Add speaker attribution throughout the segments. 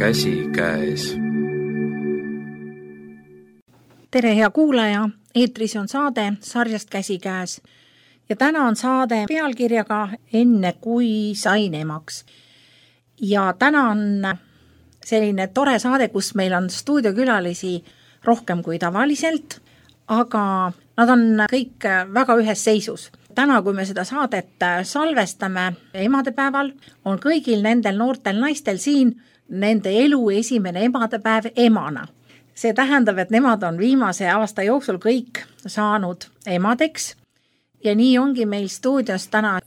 Speaker 1: käsikäes.
Speaker 2: Tere hea kuulaja, eetris on saade sarjast Käsikäes ja täna on saade pealkirjaga Enne kui sain emaks. Ja täna on selline tore saade, kus meil on stuudiokülalisi rohkem kui tavaliselt, aga nad on kõik väga ühes seisus. Täna, kui me seda saadet salvestame emadepäeval, on kõigil nendel noortel naistel siin nende elu esimene emadepäev emana. See tähendab, et nemad on viimase aasta jooksul kõik saanud emadeks ja nii ongi meil stuudios täna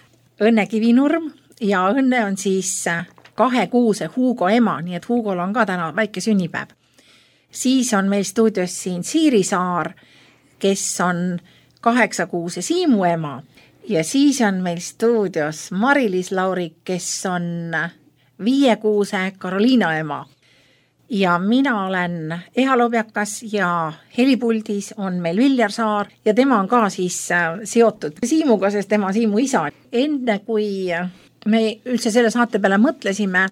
Speaker 2: Õnne Kivinurm ja Õnne on siis 2-kuuse Hugo ema, nii et Hugol on ka täna väike sünnipäev. Siis on meil stuudios siin Siiri Saar, kes on 8-kuuse Siimu ema ja siis on meil stuudios Mari-Liis Laurik, kes on 5-kuuse Karoliina ema. Ja mina olen Eha Lobjakas ja helipuldis on meil Viljar Saar ja tema on ka siis seotud Siimuga, sest tema Siimu isa. Enne kui me üldse selle saate peale mõtlesime,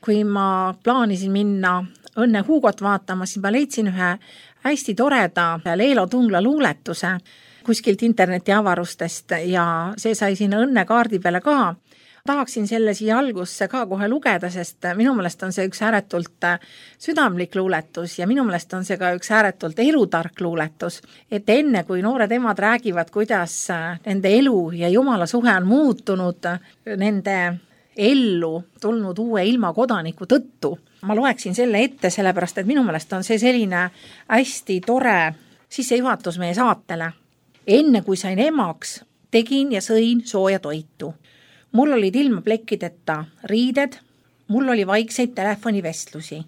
Speaker 2: kui ma plaanisin minna Õnne Hugot vaatama, siis ma leidsin ühe hästi toreda Leelo Tungla luuletuse kuskilt interneti avarustest ja see sai sinna Õnne kaardi peale ka. Tahaksin selle siia algusse ka kohe lugeda, sest minu meelest on see üks ääretult südamlik luuletus ja minu meelest on see ka üks ääretult elutark luuletus. Et enne kui noored emad räägivad, kuidas nende elu ja Jumala suhe on muutunud nende ellu tulnud uue ilma kodaniku tõttu, ma loeksin selle ette, sellepärast, et minu meelest on see selline hästi tore sissejuhatus meie saatele. Enne kui sain emaks, tegin ja sõin sooja toitu. Mul olid ilma plekkideta riided, mul oli vaikseid telefonivestlusi.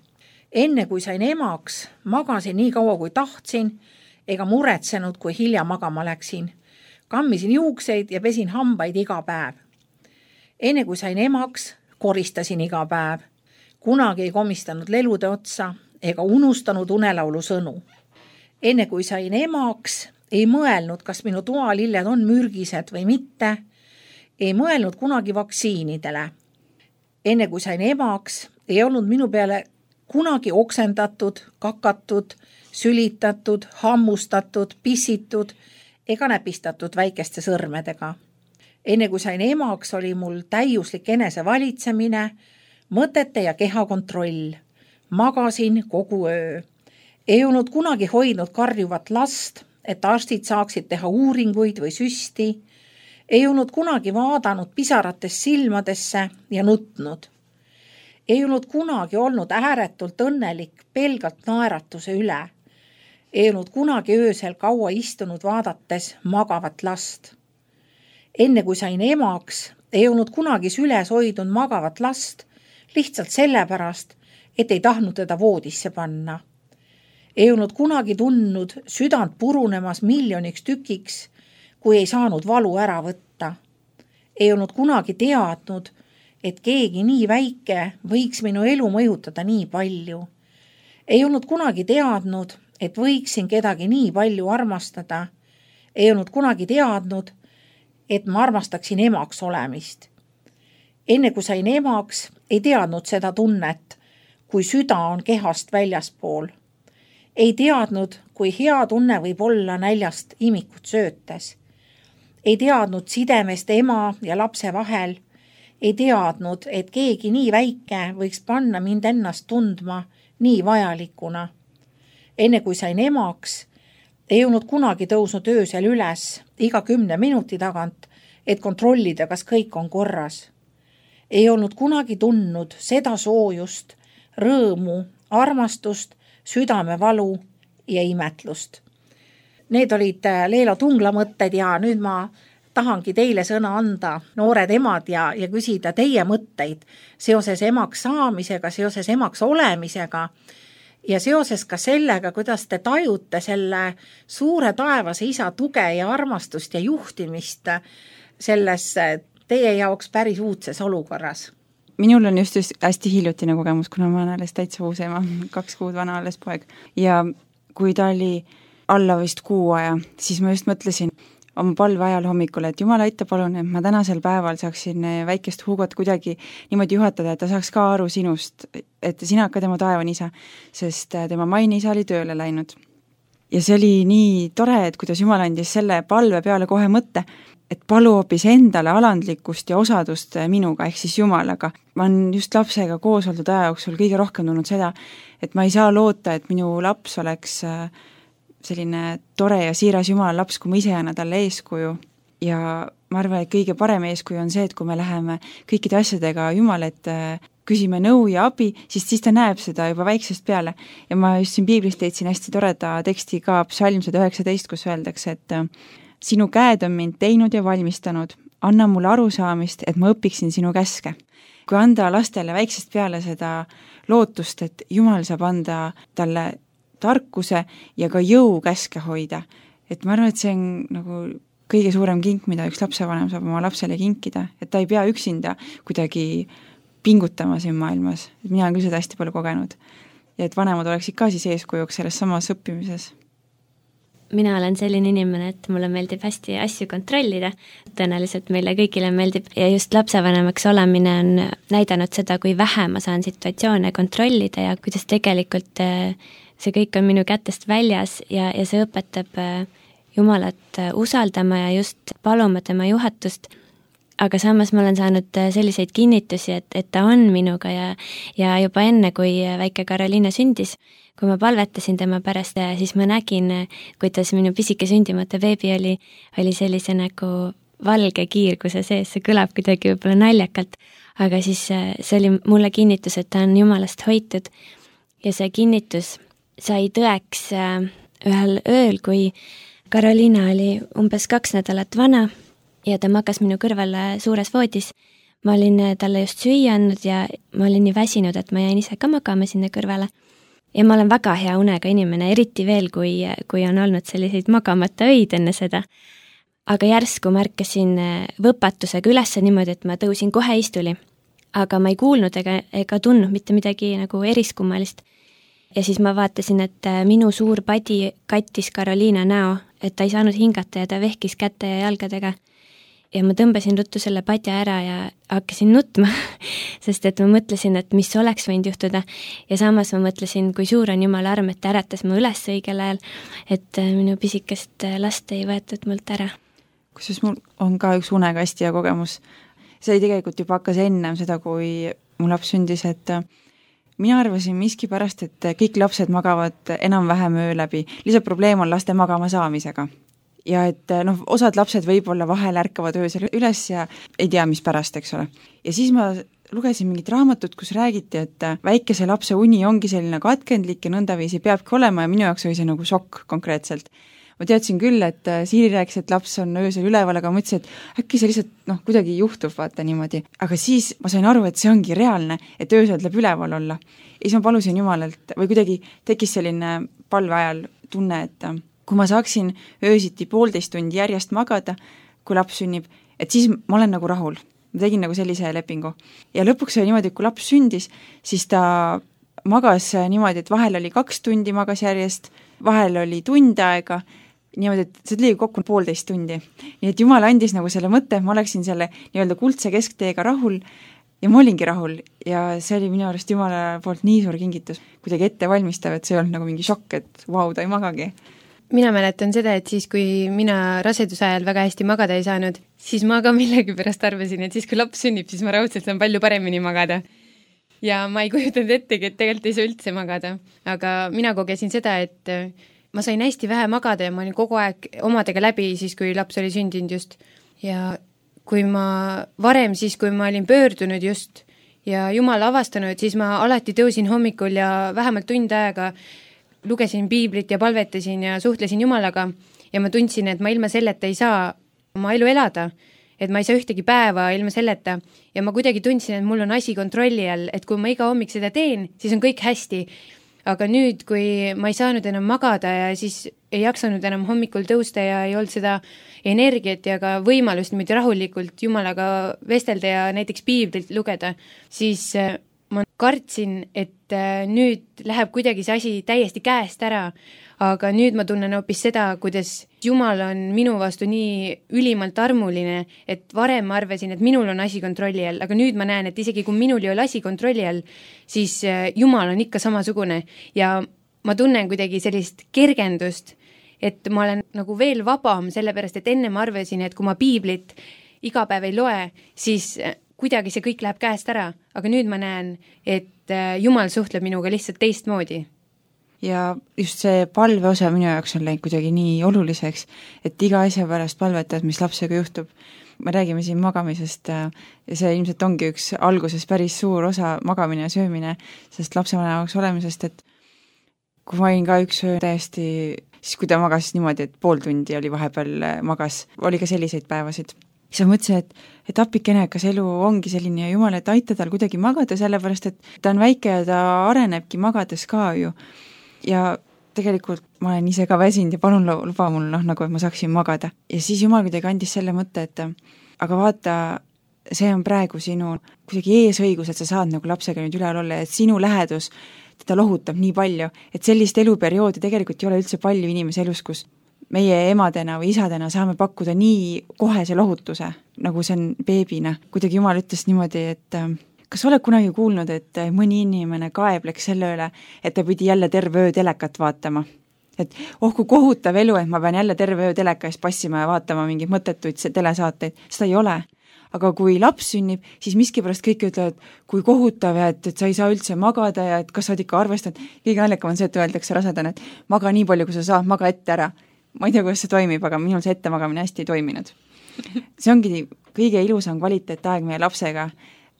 Speaker 2: Enne kui sain emaks, magasin nii kaua kui tahtsin, ega muretsenud, kui hilja magama läksin. Kammisin juukseid ja pesin hambaid iga päev. Enne kui sain emaks, koristasin iga päev. Kunagi ei komistanud lelude otsa ega unustanud unelaulu sõnu. Enne kui sain emaks, ei mõelnud, kas minu toalilled on mürgised või mitte, ei mõelnud kunagi vaktsiinidele. Enne kui sain emaks, ei olnud minu peale kunagi oksendatud, kakatud, sülitatud, hammustatud, pissitud ega näpistatud väikeste sõrmedega. Enne kui sain emaks, oli mul täiuslik enesevalitsemine, mõtete ja keha kontroll. Magasin kogu öö. Ei olnud kunagi hoidnud karjuvat last, et arstid saaksid teha uuringuid või süsti. Ei olnud kunagi vaadanud pisarates silmadesse ja nutnud. Ei olnud kunagi olnud ääretult õnnelik pelgalt naeratuse üle. Ei olnud kunagi öösel kaua istunud vaadates magavat last. Enne kui sain emaks, ei olnud kunagi süles hoidnud magavat last, lihtsalt sellepärast, et ei tahtnud teda voodisse panna. Ei olnud kunagi tundnud südant purunemas miljoniks tükiks, kui ei saanud valu ära võtta. Ei olnud kunagi teadnud, et keegi nii väike võiks minu elu mõjutada nii palju. Ei olnud kunagi teadnud, et võiksin kedagi nii palju armastada. Ei olnud kunagi teadnud, et ma armastaksin emaks olemist. Enne kui sain emaks, ei teadnud seda tunnet, kui süda on kehast väljaspool. Ei teadnud, kui hea tunne võib olla näljast imikut söötes. Ei teadnud sidemest ema ja lapse vahel. Ei teadnud, et keegi nii väike võiks panna mind ennast tundma nii vajalikuna. Enne kui sain emaks, ei olnud kunagi tõusnud öösel üles iga 10 minuti tagant, et kontrollida, kas kõik on korras. Ei olnud kunagi tundnud seda soojust, rõõmu, armastust, südamevalu ja imetlust. Need olid Leelo Tungla mõtted ja nüüd ma tahangi teile sõna anda, noored emad, ja küsida teie mõtteid seoses emaks saamisega, seoses emaks olemisega ja seoses ka sellega, kuidas te tajute selle suure taevase isa tuge ja armastust ja juhtimist selles teie jaoks päris uudses olukorras.
Speaker 3: Minul on just hästi hiljutine kogemus, kuna ma olen alles täitsa uus ema, 2 kuud vana alles poeg. Ja kui ta oli alla vist 6 aja, siis ma just mõtlesin, oma palve ajal hommikul, et Jumal, aita palun, et ma tänasel päeval saaksin väikest Hugot kuidagi niimoodi juhatada, et ta saaks ka aru sinust, et sina ka tema taevani isa, sest tema maine isa oli tööle läinud. Ja see oli nii tore, et kuidas Jumal andis selle palve peale kohe mõtte, et palu hoopis endale alandlikkust ja osadust minuga, ehk siis Jumalaga. Ma olen just lapsega koos oldud aja jooksul kõige rohkem tulnud seda, et ma ei saa loota, et minu laps oleks selline tore ja siiras Jumala laps, kui ma ise annan talle eeskuju. Ja ma arvan, et kõige parem eeskuju on see, et kui me läheme kõikide asjadega Jumal, et küsime nõu ja abi, siis ta näeb seda juba väiksest peale. Ja ma just siin piiblist leidsin hästi toreda teksti ka Psalm 119, kus öeldakse, et sinu käed on mind teinud ja valmistanud, anna mulle arusaamist, et ma õpiksin sinu käske. Kui anda lastele väiksest peale seda lootust, et Jumal saab anda talle tarkuse ja ka jõu käske hoida, et ma arvan, et see on nagu kõige suurem kink, mida üks lapsevanem saab oma lapsele kinkida, et ta ei pea üksinda kuidagi pingutama siin maailmas. Mina olen küll seda hästi palju kogenud. Ja et vanemad oleksid ka siis eeskujuks selles samas õppimises.
Speaker 1: Mina olen selline inimene, et mulle meeldib hästi asju kontrollida. Tõenäoliselt meile kõigile meeldib ja just lapsevanemaks olemine on näidanud seda, kui vähe ma saan situatsioone kontrollida ja kuidas tegelikult see kõik on minu kätest väljas ja see õpetab Jumalat usaldama ja just paluma tema juhatust. Aga samas ma olen saanud selliseid kinnitusi, et ta on minuga ja juba enne, kui väike Karoliina sündis, kui ma palvetasin tema pärast, siis ma nägin, kuidas minu pisike sündimata beebi oli sellise nagu valge kiirguse sees, see kõlab kuidagi võib-olla naljakalt, aga siis see oli mulle kinnitus, et ta on Jumalast hoitud ja see kinnitus sai tõeks ühel ööl, kui Karoliina oli umbes 2 nädalat vana ja ta magas minu kõrval suures voodis. Ma olin talle just süüa andnud ja ma olin nii väsinud, et ma jäin ise ka magama sinna kõrvale. Ja ma olen väga hea unega inimene, eriti veel, kui on olnud selliseid magamata öid enne seda. Aga järsku märkasin võpatusega üles niimoodi, et ma tõusin kohe istuli. Aga ma ei kuulnud ega tundnud mitte midagi nagu eriskummalist. Ja siis ma vaatasin, et minu suur padi kattis Karoliina näo, et ta ei saanud hingata ja ta vehkis käte ja jalgadega. Ja ma tõmbasin ruttu selle padja ära ja hakkasin nutma, sest et ma mõtlesin, et mis oleks võinud juhtuda. Ja samas ma mõtlesin, kui suur on Jumala arm, et ta äratas ma üles õigel ajal, et minu pisikest last ei võetud mult ära.
Speaker 3: Kusjuures mul on ka üks unega hästi hea kogemus. See oli tegelikult juba hakkas ennem seda, kui mu laps sündis, et mina arvasin miski pärast, et kõik lapsed magavad enam-vähem öö läbi. Lihtsalt probleem on laste magama saamisega. Ja et osad lapsed võib-olla vahel ärkavad öösel üles ja ei tea, mis pärast, eks ole. Ja siis ma lugesin mingit raamatut, kus räägiti, et väikese lapse uni ongi selline katkendlik ja nõndaviisi peabki olema ja minu jaoks oli see nagu šokk konkreetselt. Ma teadsin küll, et Siiri rääkis, et laps on öösel üleval, aga ma mõtlesin, et äkki see lihtsalt kuidagi juhtub, vaata niimoodi. Aga siis ma sain aru, et see ongi reaalne, et öösel tuleb üleval olla. Ja siis ma palusin Jumalalt või kuidagi tekkis selline palve ajal tunne, et kui ma saaksin öösiti 1,5 tundi järjest magada, kui laps sünnib, et siis ma olen nagu rahul. Ma tegin nagu sellise lepingu. Ja lõpuks oli niimoodi, et kui laps sündis, siis ta magas niimoodi, et vahel oli 2 tundi magas järjest, vahel oli tund aega, niimoodi, et see tuli kokku 1,5 tundi. Nii et Jumal andis nagu selle mõtte, ma oleksin selle nii-öelda kuldse keskteega rahul ja ma olingi rahul ja see oli minu arust Jumala poolt nii suur kingitus, kuidagi ette valmistav, et see ei olnud nagu mingi šokk, et vau, ta ei magagi.
Speaker 4: Mina mäletan seda, et siis, kui mina raseduse ajal väga hästi magada ei saanud, siis ma ka millegi pärast arvasin, et siis, kui laps sünnib, siis ma raudselt saan palju paremini magada. Ja ma ei kujutanud ettegi, et tegelikult ei saa üldse magada. Aga mina kogesin seda, et ma sain hästi vähe magada ja ma olin kogu aeg omadega läbi siis, kui laps oli sündinud just. Ja kui ma varem siis, kui ma olin pöördunud just ja Jumal avastanud, siis ma alati tõusin hommikul ja vähemalt tund aega lugesin piiblit ja palvetasin ja suhtlesin Jumalaga ja ma tundsin, et ma ilma selleta ei saa oma elu elada, et ma ei saa ühtegi päeva ilma selleta ja ma kuidagi tundsin, et mul on asi kontrolli all, et kui ma iga hommik seda teen, siis on kõik hästi. Aga nüüd, kui ma ei saanud enam magada ja siis ei jaksanud enam hommikul tõusta ja ei olnud seda energiat ja ka võimalust niimoodi rahulikult Jumalaga vestelda ja näiteks piiblit lugeda, siis ma kartsin, et nüüd läheb kuidagi see asi täiesti käest ära, aga nüüd ma tunnen hoopis seda, kuidas Jumal on minu vastu nii ülimalt armuline, et varem ma arvasin, et minul on asi kontrolli all, aga nüüd ma näen, et isegi kui minul ei ole asi kontrolli all, siis Jumal on ikka samasugune ja ma tunnen kuidagi sellist kergendust, et ma olen nagu veel vabam, sellepärast et enne ma arvasin, et kui ma piiblit iga päev ei loe, siis kuidagi see kõik läheb käest ära, aga nüüd ma näen, et Jumal suhtleb minuga lihtsalt teistmoodi.
Speaker 3: Ja just see palve osa minu jaoks on läinud kuidagi nii oluliseks, et iga asja pärast palvetad, mis lapsega juhtub. Me räägime siin magamisest ja see ilmselt ongi üks alguses päris suur osa magamine ja söömine, sest lapsevanemaks olemisest, et kui ma olin ka üks öö täiesti, siis kui ta magas niimoodi, et pool tundi oli vahepeal magas, oli ka selliseid päevasid. Siis ma mõtlesin, et appikene, kas elu ongi selline ja Jumal, et aita tal kuidagi magada, sellepärast et ta on väike ja ta arenebki magades ka ju. Ja tegelikult ma olen ise ka väsinud ja palun luba mul nagu, et ma saaksin magada. Ja siis Jumal kuidagi andis selle mõtte, et aga vaata, see on praegu sinu kuidagi eesõigus, et sa saad nagu lapsega nüüd üleval olla, et sinu lähedus teda lohutab nii palju, et sellist eluperioodi tegelikult ei ole üldse palju inimese elus, kus meie emadena või isadena saame pakkuda nii kohese lohutuse, nagu see on beebina. Kuidagi Jumal ütles niimoodi, et kas oled kunagi kuulnud, et mõni inimene kaebleks selle üle, et ta pidi jälle terve öö telekat vaatama? Et kui kohutav elu, et ma pean jälle terve öö teleka eest passima ja vaatama mingeid mõttetuid telesaateid, seda ei ole. Aga kui laps sünnib, siis miskipärast kõik ütlevad, kui kohutav ja et sa ei saa üldse magada ja et kas sa oled ikka arvestanud. Kõige naljakam on see, et öeldakse rasedana, et maga nii palju, kui sa saad, maga ette ära. Ma ei tea, kuidas see toimib, aga minul see ettemagamine hästi ei toiminud. See ongi kõige ilusam kvaliteetaeg meie lapsega.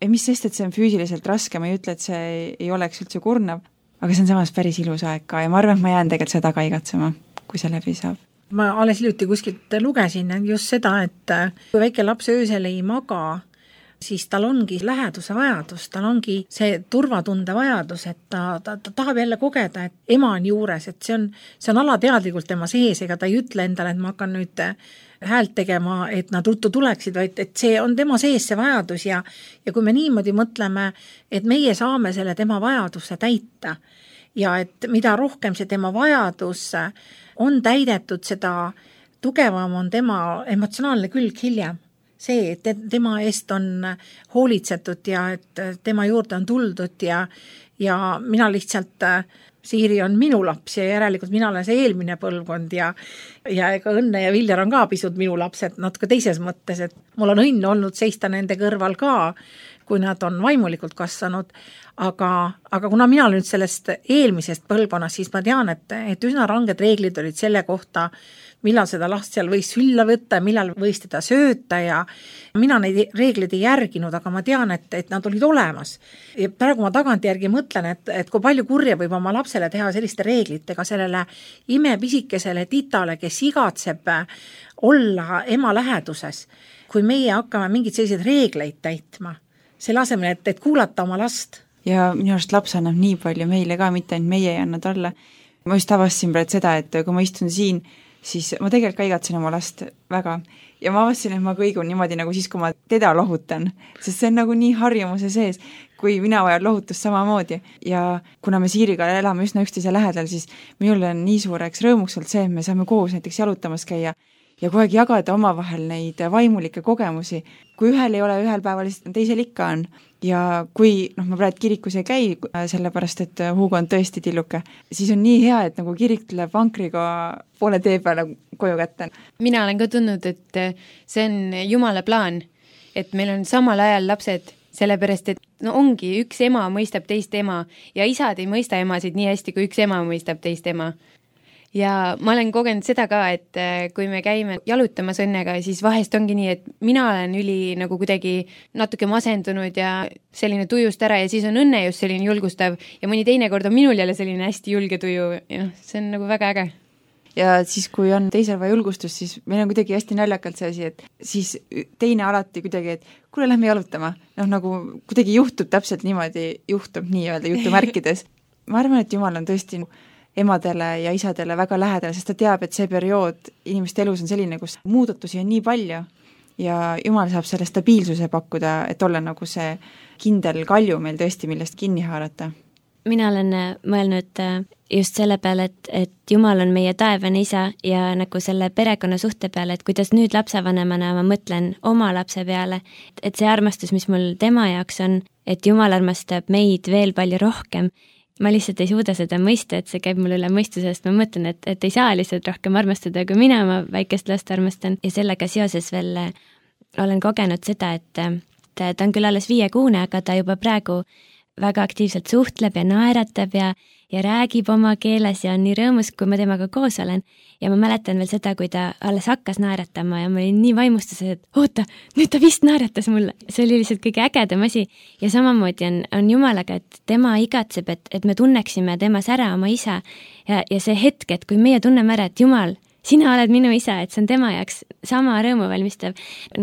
Speaker 3: Ja mis sest, et see on füüsiliselt raske, ma ei ütle, et see ei oleks üldse kurnav, aga see on samas päris ilus aeg ka ja ma arvan, et ma jään tegelikult seda ka igatsema, kui see läbi saab.
Speaker 2: Ma alles hiljuti kuskilt lugesin just seda, et kui väike laps öösel ei maga, siis tal ongi läheduse vajadus, tal ongi see turvatunde vajadus, et ta tahab jälle kogeda, et ema on juures, et see on alateadlikult tema sees, ega ta ei ütle endale, et ma hakkan nüüd häält tegema, et nad ruttu tuleksid, vaid et see on tema sees see vajadus ja kui me niimoodi mõtleme, et meie saame selle tema vajaduse täita ja et mida rohkem see tema vajadus on täidetud, seda tugevam on tema emotsionaalne külg hiljem. See, et tema eest on hoolitsetud ja et tema juurde on tuldud ja mina lihtsalt, Siiri on minu laps ja järelikult mina olen see eelmine põlvkond ja ega Õnne ja Viljar on ka pisut minu lapsed, natuke teises mõttes, et mul on õnn olnud seista nende kõrval ka, kui nad on vaimulikult kasvanud, aga kuna mina olen nüüd sellest eelmisest põlvkonnast, siis ma tean, et üsna ranged reeglid olid selle kohta, millal seda last seal võis sülla võtta ja millal võis teda sööta ja mina neid reegleid ei järginud, aga ma tean, et nad olid olemas. Ja praegu ma tagantjärgi mõtlen, et kui palju kurja võib oma lapsele teha selliste reeglitega, sellele imepisikesele titale, kes igatseb olla ema läheduses, kui meie hakkame mingeid selliseid reegleid täitma, selle asemel, et kuulata oma last.
Speaker 3: Ja minu arust laps annab nii palju meile ka, mitte ainult meie ei anna talle. Ma just avastasin praegu seda, et kui ma istun siin, siis ma tegelikult ka igatsen oma last väga ja ma avastasin, et ma kõigun niimoodi nagu siis, kui ma teda lohutan, sest see on nagu nii harjumuse sees, kui mina vajan lohutust samamoodi ja kuna me Siiriga elame üsna üksteise lähedal, siis minul on nii suureks rõõmuks olnud see, et me saame koos näiteks jalutamas käia ja kogu aeg jagada omavahel neid vaimulikke kogemusi, kui ühel ei ole ühel päeval, siis teisel ikka on. Ja kui ma praegu kirikus ei käi, sellepärast, et Hugo on tõesti tilluke, siis on nii hea, et nagu kirik tuleb vankriga poole tee peale koju kätte.
Speaker 4: Mina olen ka tundnud, et see on Jumala plaan, et meil on samal ajal lapsed, sellepärast, et ongi üks ema mõistab teist ema ja isad ei mõista emasid nii hästi, kui üks ema mõistab teist ema. Ja ma olen kogenud seda ka, et kui me käime jalutamas Õnnega, siis vahest ongi nii, et mina olen nagu kuidagi natuke masendunud ja selline tujust ära ja siis on Õnne just selline julgustav ja mõni teine kord on minul jälle selline hästi julge tuju ja see on nagu väga äge.
Speaker 3: Ja siis, kui on teisel vaja julgustust, siis meil on kuidagi hästi naljakalt see asi, et siis teine alati kuidagi, et kuule, lähme jalutama. Nagu kuidagi juhtub täpselt niimoodi, juhtub nii-öelda jutumärkides. Ma arvan, et Jumal on tõesti emadele ja isadele väga lähedale, sest ta teab, et see periood inimeste elus on selline, kus muudatusi on nii palju ja Jumal saab selle stabiilsuse pakkuda, et olla nagu see kindel kalju meil tõesti, millest kinni haarata.
Speaker 1: Mina olen mõelnud just selle peale, et Jumal on meie taevane isa ja nagu selle perekonna suhte peale, et kuidas nüüd lapsevanemana ma mõtlen oma lapse peale, et see armastus, mis mul tema jaoks on, et Jumal armastab meid veel palju rohkem. Ma lihtsalt ei suuda seda mõista, et see käib mul üle mõistusest, ma mõtlen, et ei saa lihtsalt rohkem armastada, kui mina oma väikest last armastan ja sellega seoses veel olen kogenud seda, et ta on küll alles 5-kuune, aga ta juba praegu väga aktiivselt suhtleb ja naeratab ja räägib oma keeles ja on nii rõõmus, kui ma temaga koos olen. Ja ma mäletan veel seda, kui ta alles hakkas naeratama ja ma olin nii vaimustuses, et oota, nüüd ta vist naeratas mulle. See oli lihtsalt kõige ägedam asi. Ja samamoodi on Jumalaga, et tema igatseb, et me tunneksime temas ära oma isa ja see hetk, et kui meie tunneme ära, et Jumal, sina oled minu isa, et see on tema jaoks sama rõõmu valmistav,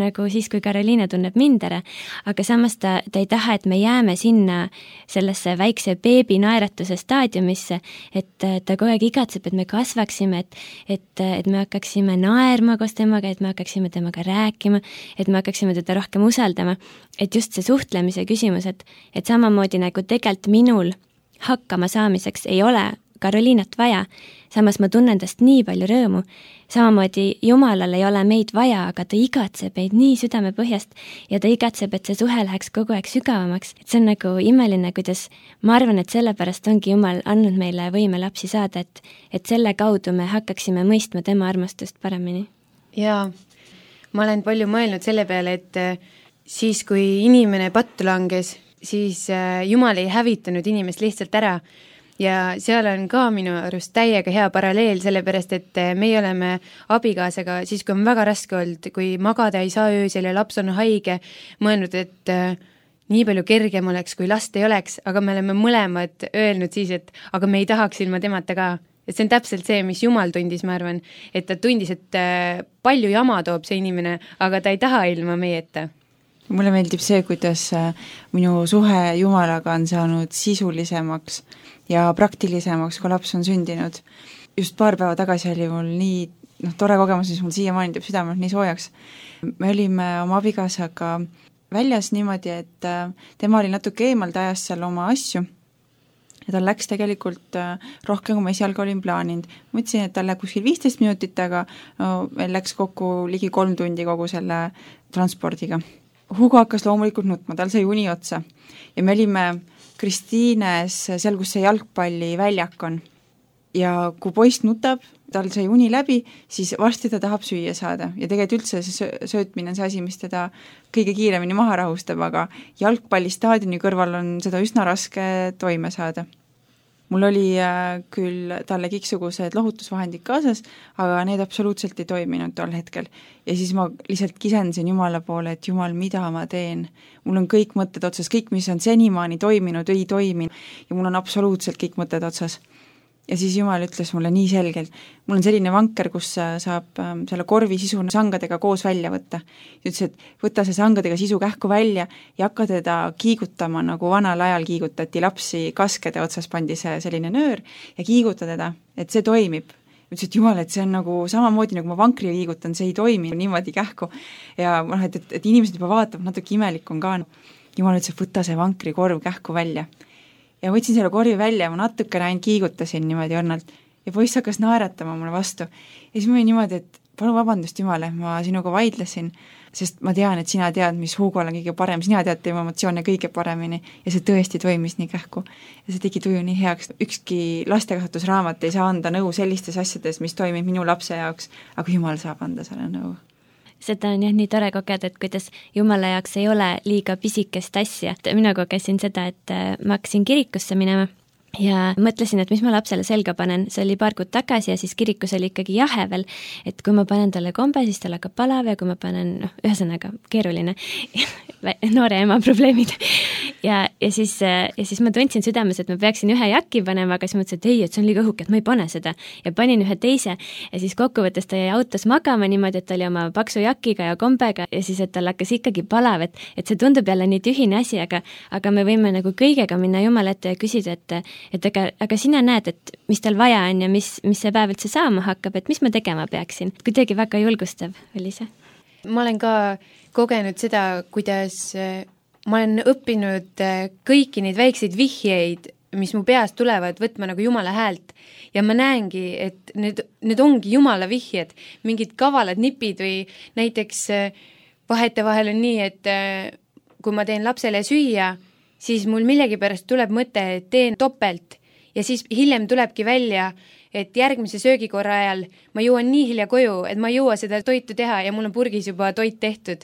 Speaker 1: nagu siis, kui Karoliina tunneb mind ära, aga samas ta ei taha, et me jääme sinna sellesse väikse beebi naeratuse staadiumisse, et ta kogu aeg igatseb, et me kasvaksime, et me hakkaksime naerma koos temaga, et me hakkaksime temaga rääkima, et me hakkaksime teda rohkem usaldama, et just see suhtlemise küsimus, et samamoodi nagu tegelikult minul hakkama saamiseks ei ole Karoliinat vaja, samas ma tunnen tast nii palju rõõmu. Samamoodi Jumalal ei ole meid vaja, aga ta igatseb meid nii südame põhjast ja ta igatseb, et see suhe läheks kogu aeg sügavamaks. Et see on nagu imeline, kuidas ma arvan, et sellepärast ongi Jumal andnud meile võime lapsi saada, et selle kaudu me hakkaksime mõistma tema armastust paremini.
Speaker 4: Jaa, ma olen palju mõelnud selle peale, et siis, kui inimene pattu langes, siis Jumal ei hävitanud inimest lihtsalt ära. Ja seal on ka minu arust täiega hea paralleel, sellepärast, et meie oleme abikaasaga siis, kui on väga raske olnud, kui magada ei saa öösel ja laps on haige, mõelnud, et nii palju kergem oleks, kui last ei oleks, aga me oleme mõlemad öelnud siis, et aga me ei tahaks ilma temata ka. Et see on täpselt see, mis Jumal tundis, ma arvan, et ta tundis, et palju jama toob see inimene, aga ta ei taha ilma meieta.
Speaker 3: Mulle meeldib see, kuidas minu suhe Jumalaga on saanud sisulisemaks ja praktilisemaks, kui laps on sündinud. Just paar päeva tagasi oli mul nii tore kogemus, mis mul siiamaani teeb südamelt nii soojaks. Me olime oma abikaasaga väljas niimoodi, et tema oli natuke eemal, ta ajas seal oma asju ja tal läks tegelikult rohkem, kui ma esialgu olin plaaninud. Mõtlesin, et tal läheb kuskil 15 minutit, aga meil läks kokku ligi 3 tundi kogu selle transpordiga. Hugo hakkas loomulikult nutma, tal sai uni otsa ja me olime Kristiines seal, kus see jalgpalli väljak on. Ja kui poiss nutab, tal sai uni läbi, siis varsti ta tahab süüa saada ja tegelikult üldse see söötmine on see asi, mis teda kõige kiiremini maha rahustab, aga jalgpallistaadioni kõrval on seda üsna raske toime saada. Mul oli küll talle kõiksugused lohutusvahendid kaasas, aga need absoluutselt ei toiminud tol hetkel. Ja siis ma lihtsalt kisendasin Jumala poole, et Jumal, mida ma teen? Mul on kõik mõtted otsas, kõik, mis on senimaani toiminud, ei toimi ja mul on absoluutselt kõik mõtted otsas. Ja siis Jumal ütles mulle nii selgelt, mul on selline vanker, kus saab selle korvi sisu sangadega koos välja võtta. Ütles, et võta see sangadega sisu kähku välja ja hakka teda kiigutama, nagu vanal ajal kiigutati lapsi kaskede otsas pandi see selline nöör ja kiiguta teda, et see toimib. Ütles, et Jumal, et see on nagu samamoodi, nagu ma vankri liigutan, see ei toimi niimoodi kähku. Ja et inimesed juba vaatab, natuke imelik on ka. Jumal ütles, et võta see vankri korv kähku välja. Ja võtsin selle korvi välja ja ma natukene ainult kiigutasin niimoodi õnnalt ja poiss hakkas naeratama mulle vastu. Ja siis ma olin niimoodi, et palun vabandust Jumale, ma sinuga vaidlesin, sest ma tean, et sina tead, mis Hugol on kõige parem, sina tead tema emotsioone kõige paremini ja see tõesti toimis nii kähku. Ja see tegi tuju nii heaks. Ükski lastekasvatusraamat ei saa anda nõu sellistes asjades, mis toimib minu lapse jaoks, aga Jumal saab anda selle nõu.
Speaker 1: Seda on jah nii tore kogeda, et kuidas Jumala jaoks ei ole liiga pisikest asja. Mina kogesin seda, et ma hakkasin kirikusse minema ja mõtlesin, et mis ma lapsele selga panen. See oli paar kuud tagasi ja siis kirikus oli ikkagi jahe veel, et kui ma panen talle kombe, siis tal hakkab palav ja kui ma panen, ühesõnaga keeruline noore ema probleemid. Ja siis ma tundsin südames, et ma peaksin ühe jakki panema, aga siis mõtlesin, et ei, et see on liiga õhuke, et ma ei pane seda. Ja panin ühe teise ja siis kokkuvõttes ta jäi autos magama niimoodi, et ta oli oma paksu jakiga ja kombega ja siis, et tal hakkas ikkagi palav, et see tundub jälle nii tühine asi, aga me võime nagu kõigega minna Jumala ette ja küsida, aga sina näed, et mis tal vaja on ja mis see päev üldse saama hakkab, et mis ma tegema peaksin. Kuidagi väga julgustav oli see.
Speaker 4: ma olen ka kogenud seda, kuidas ma olen õppinud kõiki neid väikseid vihjeid, mis mu peast tulevad, võtma nagu Jumala häält ja ma näengi, et need ongi Jumala vihjed, mingid kavalad nipid või näiteks vahetevahel on nii, et kui ma teen lapsele süüa, siis mul millegipärast tuleb mõte, et teen topelt ja siis hiljem tulebki välja, et järgmise söögikorra ajal ma jõuan nii hilja koju, et ma ei jõua seda toitu teha ja mul on purgis juba toit tehtud.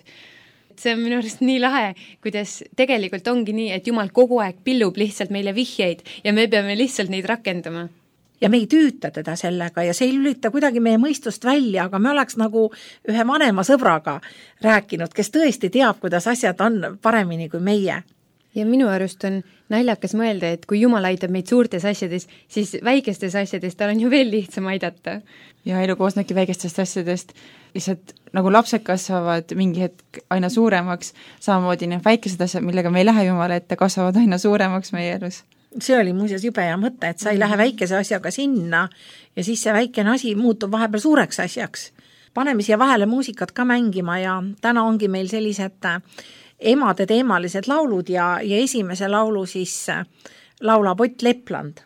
Speaker 4: See on minu arust nii lahe, kuidas tegelikult ongi nii, et Jumal kogu aeg pillub lihtsalt meile vihjeid ja me peame lihtsalt neid rakendama.
Speaker 2: Ja me ei tüüta teda sellega ja see ei lülita kuidagi meie mõistust välja, aga me oleks nagu ühe vanema sõbraga rääkinud, kes tõesti teab, kuidas asjad on paremini kui meie.
Speaker 4: Ja minu arust on naljakas mõelda, et kui Jumal aitab meid suurtes asjades, siis väikestes asjades tal on ju veel lihtsam aidata.
Speaker 3: Ja elu koosnebki väikestest asjadest, lihtsalt nagu lapsed kasvavad mingi hetk aina suuremaks, samamoodi need väikesed asjad, millega me ei lähe Jumala ette, kasvavad aina suuremaks meie elus.
Speaker 2: See oli muuseas jube hea mõte, et sa ei lähe väikese asjaga sinna ja siis see väikene asi muutub vahepeal suureks asjaks. Paneme siia vahele muusikat ka mängima ja täna ongi meil sellised emade teemalised laulud ja esimese laulu siis laulab Ott Lepland.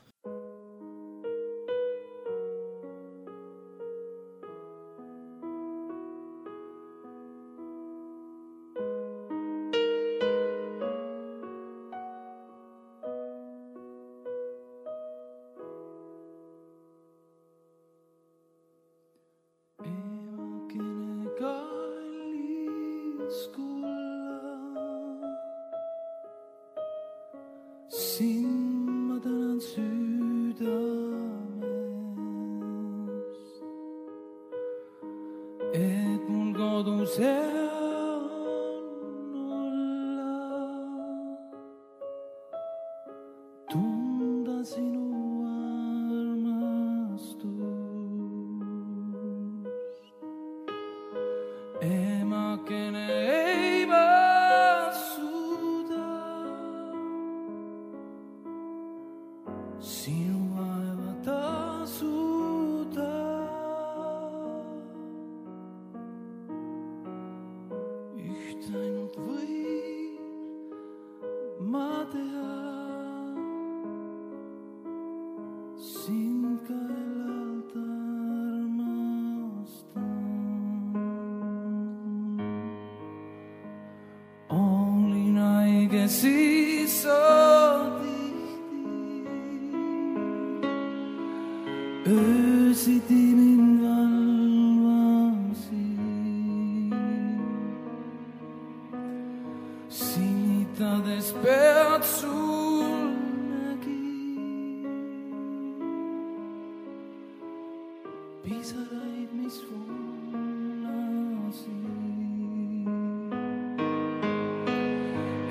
Speaker 5: Siis öösiti mind valvasid, sinitades pead sul nägi, pisaraid, mis voolasid.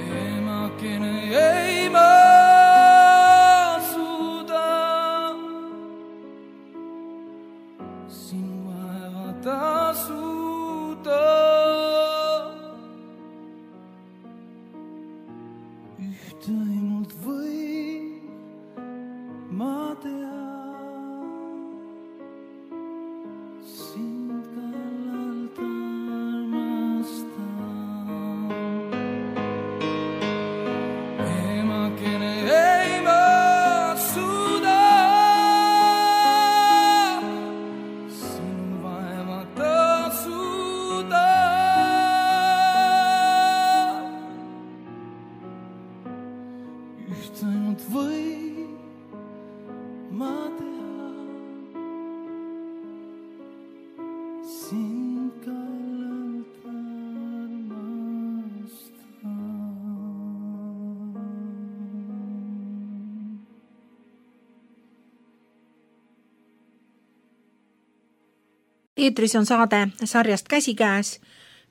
Speaker 5: Emakene ei ma tasuda. Ühte ainult võin ma teha, sind kallalt armastan. Emakene ei ma suuda üht ainult või ma teha, sind kallalt armastan.
Speaker 2: Eetris on saade sarjast Käsikäes.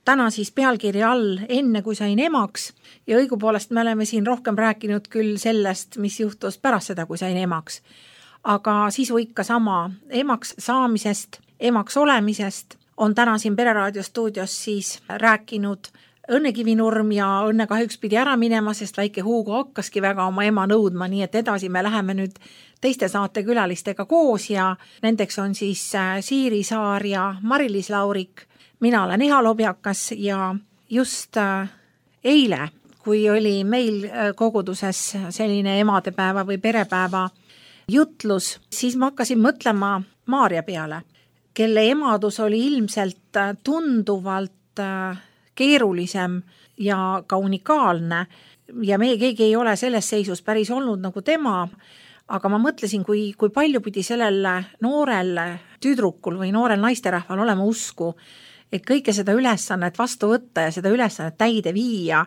Speaker 2: Täna siis pealkirja all Enne kui sain emaks ja õigupoolest me oleme siin rohkem rääkinud küll sellest, mis juhtus pärast seda, kui sain emaks. Aga sisu ikka sama emaks saamisest, emaks olemisest on täna siin Pereraadio stuudios siis rääkinud Õnne Kivinurm ja Õnne kahjuks pidi ära minema, sest väike Hugo hakkaski väga oma ema nõudma, nii et edasi me läheme nüüd teiste saatekülalistega koos ja nendeks on siis Siiri Saar ja Mari-Liis Laurik. mina olen Iha Lobjakas ja just eile, kui oli meil koguduses selline emadepäeva või perepäeva jutlus, siis ma hakkasin mõtlema Maarja peale, kelle emadus oli ilmselt tunduvalt keerulisem ja ka unikaalne ja meie keegi ei ole selles seisus päris olnud nagu tema, aga ma mõtlesin, kui palju pidi sellel noorel tüdrukul või noorel naisterahval olema usku, et kõike seda ülesannet vastu võtta ja seda ülesannet täide viia,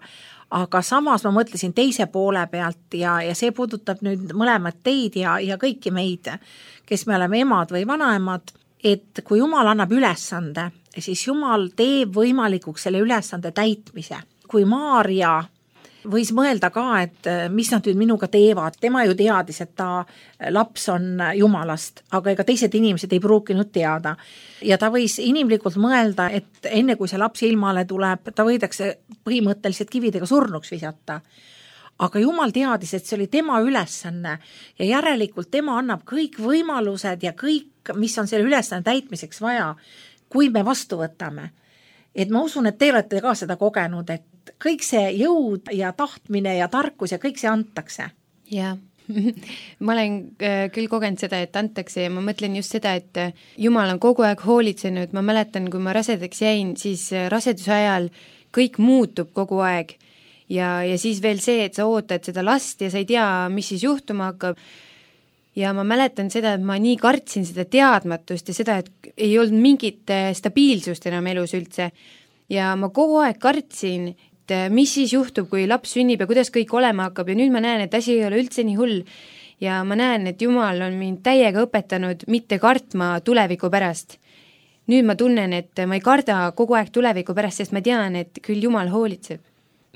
Speaker 2: aga samas ma mõtlesin teise poole pealt ja see puudutab nüüd mõlemat teid ja kõiki meid, kes me oleme emad või vanaemad, et kui Jumal annab ülesande, siis Jumal teeb võimalikuks selle ülesande täitmise. Kui Maarja võis mõelda ka, et mis nad nüüd minuga teevad. Tema ju teadis, et ta laps on Jumalast, aga ega teised inimesed ei pruukinud teada. Ja ta võis inimlikult mõelda, et enne kui see laps ilmale tuleb, ta võidakse põhimõtteliselt kividega surnuks visata. Aga Jumal teadis, et see oli tema ülesanne ja järelikult tema annab kõik võimalused ja kõik, mis on selle ülesanne täitmiseks vaja, kui me vastu võtame. Et ma usun, et te olete ka seda kogenud, et kõik see jõud ja tahtmine ja tarkus ja kõik see antakse.
Speaker 4: Jaa, ma olen küll kogenud seda, et antakse ja ma mõtlen just seda, et Jumal on kogu aeg hoolitsenud. Ma mäletan, kui ma rasedaks jäin, siis raseduse ajal kõik muutub kogu aeg ja siis veel see, et sa ootad seda last ja sa ei tea, mis siis juhtuma hakkab. Ja ma mäletan seda, et ma nii kartsin seda teadmatust ja seda, et ei olnud mingit stabiilsust enam elus üldse. Ja ma kogu aeg kartsin, et mis siis juhtub, kui laps sünnib ja kuidas kõik olema hakkab ja nüüd ma näen, et asi ei ole üldse nii hull. Ja ma näen, et Jumal on mind täiega õpetanud mitte kartma tuleviku pärast. Nüüd ma tunnen, et ma ei karda kogu aeg tuleviku pärast, sest ma tean, et küll Jumal hoolitseb.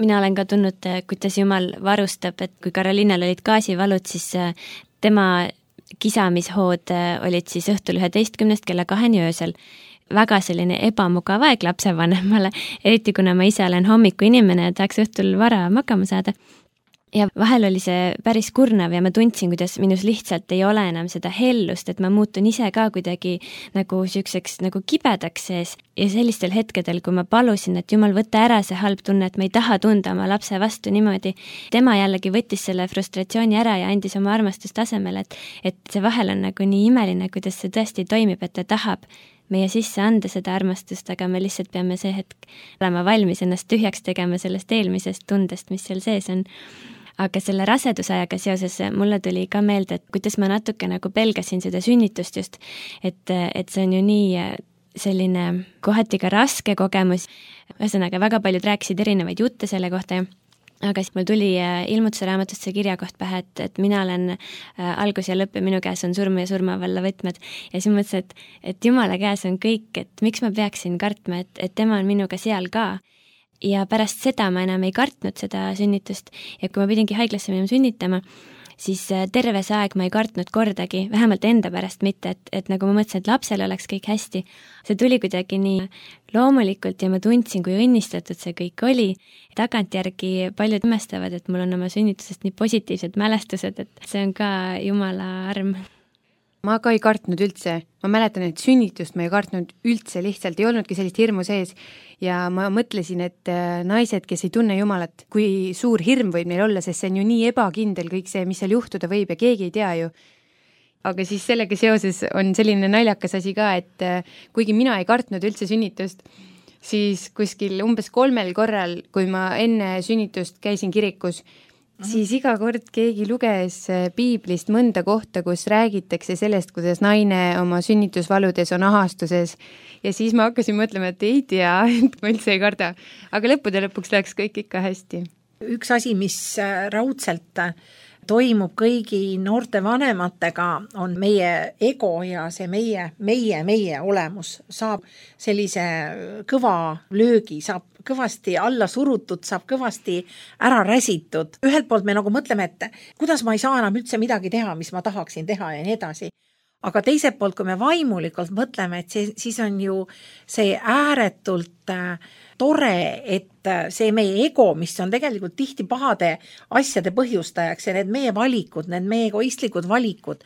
Speaker 1: Mina olen ka tundnud, kuidas Jumal varustab, et kui Karoliinal olid gaasivalud, siis tema kisamishood olid siis õhtul 11 kella 2 öösel. Väga selline ebamugav aeg lapsevanemale, eriti kuna ma ise olen hommiku inimene ja tahaks õhtul vara magama saada. Ja vahel oli see päris kurnav ja ma tundsin, kuidas minus lihtsalt ei ole enam seda hellust, et ma muutun ise ka kuidagi nagu süükseks nagu kibedaks sees. Ja sellistel hetkedel, kui ma palusin, et Jumal võtta ära see halb tunne, et ma ei taha tunda oma lapse vastu niimoodi, tema jällegi võttis selle frustratsiooni ära ja andis oma armastust asemele, et see vahel on nagu nii imeline, kuidas see tõesti toimib, et ta tahab meie sisse anda seda armastust, aga me lihtsalt peame see hetk olema valmis ennast tühjaks tegema sellest eelmisest tundest, mis seal sees on. Aga selle rasedusajaga seoses mulle tuli ka meelde, et kuidas ma natuke nagu pelgasin seda sünnitust just, et see on ju nii selline kohati ka raske kogemus. Ühesõnaga, väga paljud rääkisid erinevaid jutte selle kohta, aga siis mul tuli ilmutuse raamatust see kirjakoht pähe, et mina olen algus ja lõpp ja minu käes on surm ja surmavalla võtmed. Ja siis mõtlesin, et Jumala käes on kõik, et miks ma peaksin kartma, et tema on minuga seal ka. Ja pärast seda ma enam ei kartnud seda sünnitust ja kui ma pidingi haiglasse minema sünnitama, siis terve see aeg ma ei kartnud kordagi, vähemalt enda pärast mitte, et nagu ma mõtlesin, et lapsel oleks kõik hästi. See tuli kuidagi nii loomulikult ja ma tundsin, kui õnnistatud see kõik oli. Tagantjärgi paljud imestavad, et mul on oma sünnitusest nii positiivsed mälestused, et see on ka Jumala arm.
Speaker 4: Ma ka ei kartnud üldse. Ma mäletan, et sünnitust ma ei kartnud üldse, lihtsalt ei olnudki sellist hirmu sees. Ja ma mõtlesin, et naised, kes ei tunne Jumalat, kui suur hirm võib neil olla, sest see on ju nii ebakindel kõik see, mis seal juhtuda võib ja keegi ei tea ju. Aga siis sellega seoses on selline naljakas asi ka, et kuigi mina ei kartnud üldse sünnitust, siis kuskil umbes 3 korral, kui ma enne sünnitust käisin kirikus, siis iga kord keegi luges piiblist mõnda kohta, kus räägitakse sellest, kuidas naine oma sünnitusvaludes on ahastuses ja siis ma hakkasin mõtlema, et ei tea, et ma üldse ei karda. Aga lõppude lõpuks läks kõik ikka hästi.
Speaker 2: Üks asi, mis raudselt toimub kõigi noorte vanematega, on meie ego ja see meie olemus saab sellise kõva löögi, saab kõvasti alla surutud, saab kõvasti ära räsitud. Ühelt poolt me nagu mõtleme, et kuidas ma ei saa enam üldse midagi teha, mis ma tahaksin teha ja nii edasi. Aga teiselt poolt, kui me vaimulikult mõtleme, et siis on ju see ääretult tore, et see meie ego, mis on tegelikult tihti pahade asjade põhjustajaks ja need meie valikud, need meie egoistlikud valikud,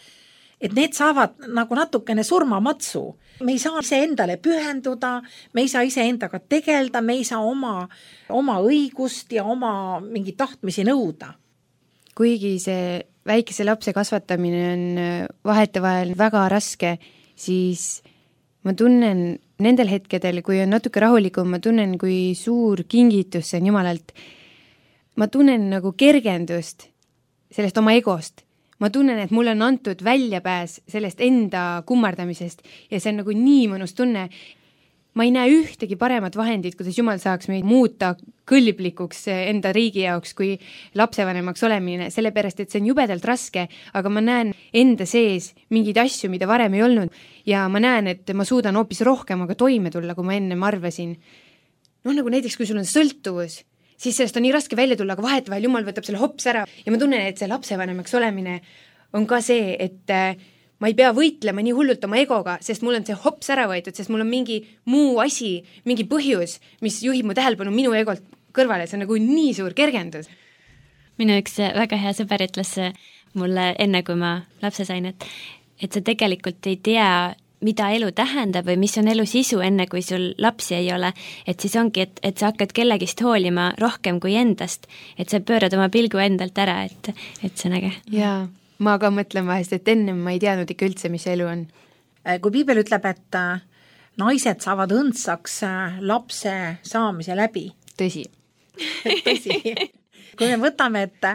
Speaker 2: et need saavad nagu natukene surmamatsu. Me ei saa ise endale pühenduda, me ei saa ise endaga tegelda, me ei saa oma õigust ja oma mingi tahtmisi nõuda.
Speaker 4: Kuigi see väikese lapse kasvatamine on vahetevahel väga raske, siis ma tunnen nendel hetkedel, kui on natuke rahulikum, ma tunnen, kui suur kingitus see on Jumalalt. Ma tunnen nagu kergendust sellest oma egost. Ma tunnen, et mulle on antud väljapääs sellest enda kummardamisest ja see on nagu nii mõnus tunne. Ma ei näe ühtegi paremat vahendit, kuidas Jumal saaks meid muuta kõlblikuks enda riigi jaoks kui lapsevanemaks olemine, sellepärast, et see on jubedalt raske, aga ma näen enda sees mingeid asju, mida varem ei olnud ja ma näen, et ma suudan hoopis rohkem aga toime tulla, kui ma enne arvasin. Nagu näiteks, kui sul on sõltuvus, siis sellest on nii raske välja tulla, aga vahetevahel Jumal võtab selle hops ära ja ma tunnen, et see lapsevanemaks olemine on ka see, et ma ei pea võitlema nii hullult oma egoga, sest mul on see hops ära võetud, sest mul on mingi muu asi, mingi põhjus, mis juhib mu tähelepanu minu egolt kõrvale, see on nagu nii suur kergendus.
Speaker 1: Minu üks väga hea sõber ütles mulle enne, kui ma lapse sain, et sa tegelikult ei tea, mida elu tähendab või mis on elu sisu, enne kui sul lapsi ei ole, et siis ongi, et sa hakkad kellegist hoolima rohkem kui endast, et sa pöörad oma pilgu endalt ära, et see on äge.
Speaker 4: Jaa, ma ka mõtlen vahest, et ennem ma ei teadnud ikka üldse, mis elu on.
Speaker 2: Kui piibel ütleb, et naised saavad õndsaks lapse saamise läbi.
Speaker 4: Tõsi.
Speaker 2: Tõsi. Kui me võtame, et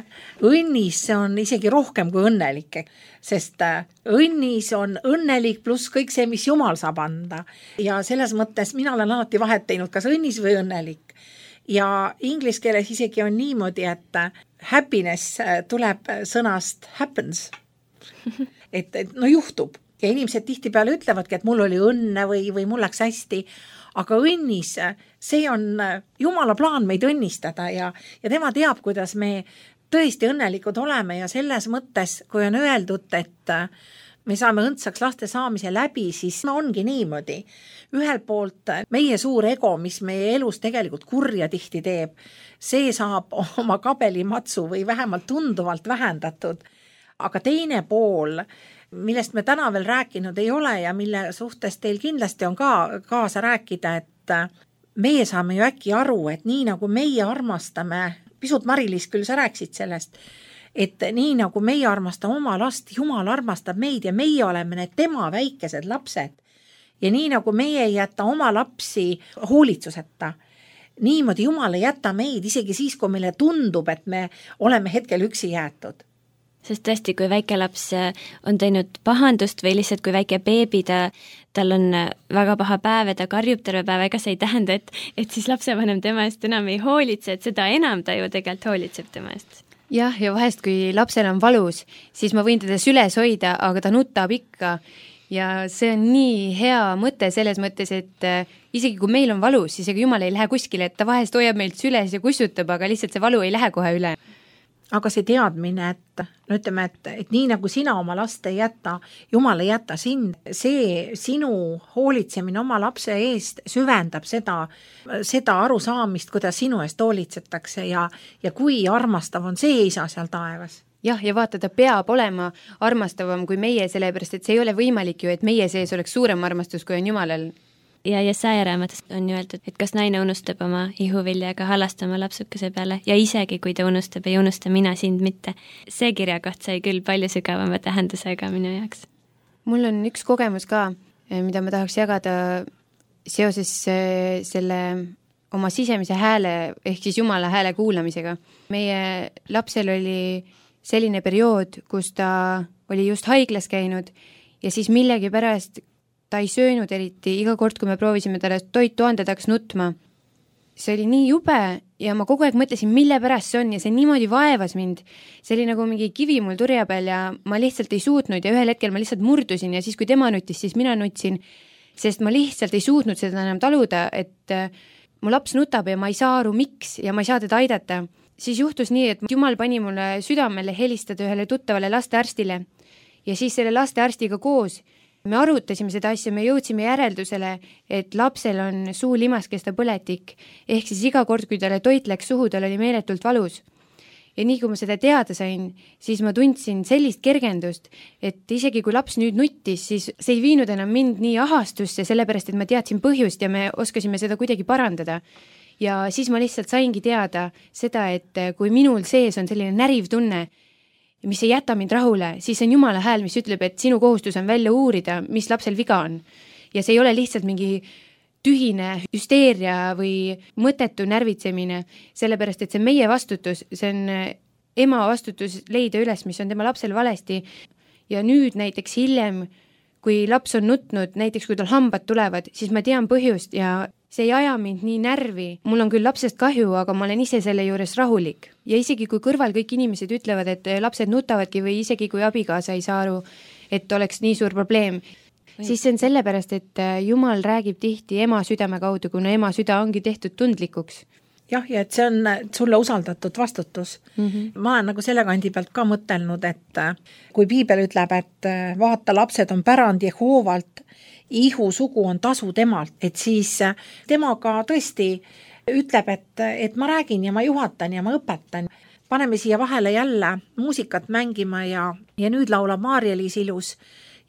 Speaker 2: õnnis on isegi rohkem kui õnnelik, sest õnnis on õnnelik pluss kõik see, mis Jumal saab anda. Ja selles mõttes mina olen alati vahet teinud, kas õnnis või õnnelik. Ja inglis keeles isegi on niimoodi, et happiness tuleb sõnast happens. Et no juhtub. Ja inimesed tihtipeale ütlevadki, et mul oli õnne või mul läks hästi. Aga õnnis, see on Jumala plaan meid õnnistada ja tema teab, kuidas me tõesti õnnelikud oleme ja selles mõttes, kui on öeldud, et me saame õndsaks laste saamise läbi, siis ongi niimoodi. Ühelt poolt meie suur ego, mis meie elus tegelikult kurja tihti teeb, see saab oma kabelimatsu või vähemalt tunduvalt vähendatud. Aga teine pool, millest me täna veel rääkinud ei ole ja mille suhtes teil kindlasti on ka kaasa rääkida, et meie saame ju äkki aru, et nii nagu meie armastame, pisut Mari-Liis küll sa rääkisid sellest, et nii nagu meie armastame oma last, Jumal armastab meid ja meie oleme need tema väikesed lapsed. Ja nii nagu meie ei jäta oma lapsi hoolitsuseta, niimoodi Jumal ei jäta meid isegi siis, kui meile tundub, et me oleme hetkel üksi jäetud.
Speaker 1: Sest tõesti, kui väike laps on teinud pahandust või lihtsalt kui väike beebi, tal on väga paha päev ja ta karjub terve päev, ega see ei tähenda, et siis lapsevanem tema eest enam ei hoolitse, et seda enam ta ju tegelikult hoolitseb tema eest.
Speaker 4: Jah, ja vahest, kui lapsel on valus, siis ma võin teda süles hoida, aga ta nutab ikka. Ja see on nii hea mõte selles mõttes, et isegi kui meil on valus, siis ega Jumal ei lähe kuskile, et ta vahest hoiab meilt süles ja kussutab, aga lihtsalt see valu ei lähe kohe üle.
Speaker 2: Aga see teadmine, et no ütleme, et nii nagu sina oma last ei jäta, Jumal ei jäta sind, see sinu hoolitsemine oma lapse eest süvendab seda arusaamist, kuidas sinu eest hoolitsetakse ja kui armastav on see isa seal taevas.
Speaker 4: Jah, ja vaata, ta peab olema armastavam kui meie, sellepärast et see ei ole võimalik ju, et meie sees oleks suurem armastus, kui on Jumalal.
Speaker 1: Ja Jesaja raamatust on ju öeldud, et kas naine unustab oma ihuviljaga halastama lapsukese peale ja isegi kui ta unustab, ei unusta mina sind mitte. See kirjakoht sai küll palju sügavama tähendusega minu jaoks.
Speaker 4: Mul on üks kogemus ka, mida ma tahaks jagada seoses selle oma sisemise hääle ehk siis Jumala hääle kuulamisega. Meie lapsel oli selline periood, kus ta oli just haiglas käinud ja siis millegi pärast ta ei söönud eriti, iga kord, kui me proovisime talle toitu anda, ta hakkas nutma. See oli nii jube ja ma kogu aeg mõtlesin, mille pärast see on ja see niimoodi vaevas mind. See oli nagu mingi kivi mul turja peal ja ma lihtsalt ei suutnud ja ühel hetkel ma lihtsalt murdusin ja siis, kui tema nutis, siis mina nutsin, sest ma lihtsalt ei suutnud seda enam taluda, et mu laps nutab ja ma ei saa aru, miks ja ma ei saa teda aidata. Siis juhtus nii, et Jumal pani mulle südamele helistada ühele tuttavale lastearstile ja siis selle lastearstiga koos me arutasime seda asja, me jõudsime järeldusele, et lapsel on suulimaskeste põletik, ehk siis iga kord, kui talle toit läks suhu, tal oli meeletult valus. Ja nii kui ma seda teada sain, siis ma tundsin sellist kergendust, et isegi kui laps nüüd nuttis, siis see ei viinud enam mind nii ahastusse, sellepärast et ma teadsin põhjust ja me oskasime seda kuidagi parandada. Ja siis ma lihtsalt saingi teada seda, et kui minul sees on selline näriv tunne, mis ei jäta mind rahule, siis on Jumala hääl, mis ütleb, et sinu kohustus on välja uurida, mis lapsel viga on. Ja see ei ole lihtsalt mingi tühine hüsteeria või mõttetu närvitsemine, sellepärast et see on meie vastutus, see on ema vastutus leida üles, mis on tema lapsel valesti. Ja nüüd näiteks hiljem, kui laps on nutnud, näiteks kui tal hambad tulevad, siis ma tean põhjust ja see ei aja mind nii närvi. Mul on küll lapsest kahju, aga ma olen ise selle juures rahulik. Ja isegi kui kõrval kõik inimesed ütlevad, et lapsed nutavadki või isegi kui abikaasa ei saa aru, et oleks nii suur probleem, siis see on sellepärast, et Jumal räägib tihti ema südame kaudu, kuna ema süda ongi tehtud tundlikuks.
Speaker 2: Jah, ja et see on sulle usaldatud vastutus. Ma olen nagu selle kandi pealt ka mõtelnud, et kui piibel ütleb, et vaata, lapsed on pärand Jehoovalt, ihu sugu on tasu temalt, et siis temaga tõesti ütleb, et ma räägin ja ma juhatan ja ma õpetan. Paneme siia vahele jälle muusikat mängima ja nüüd laulab Maarja-Liis Ilus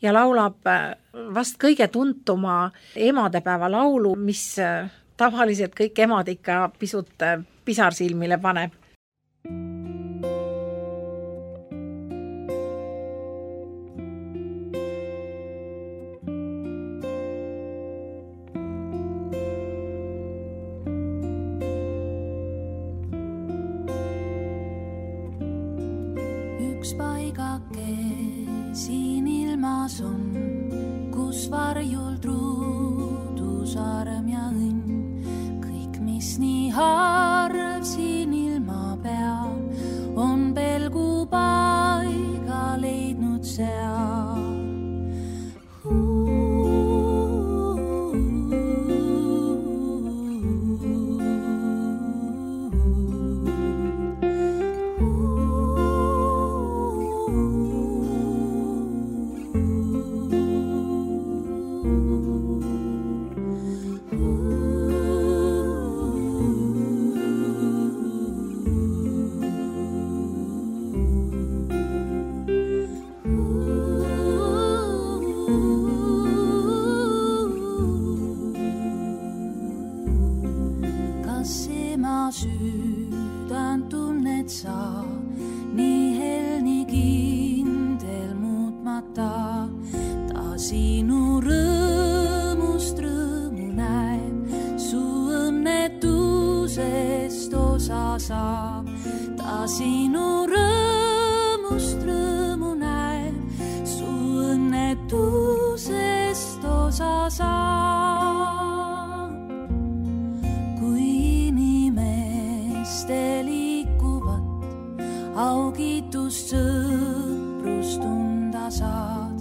Speaker 2: ja laulab vast kõige tuntuma emadepäeva laulu, mis tavaliselt kõik emad ikka pisut pisarsilmile paneb.
Speaker 6: Üks paigake siin ilmas on, kus varjul truudusarm ja õnn. Kõik, mis nii harv siin ilma peal, on pelgu paiga leidnud seal. Südän tunnet sa, nii hel, nii kindel muutmata. Ta sinu rõõmust rõõmu näeb, su õnnetusest osa saab. Ta sinu rõõmust rõõmu näeb, su õnnetusest osa saab. Augitust sõprust tunda saad,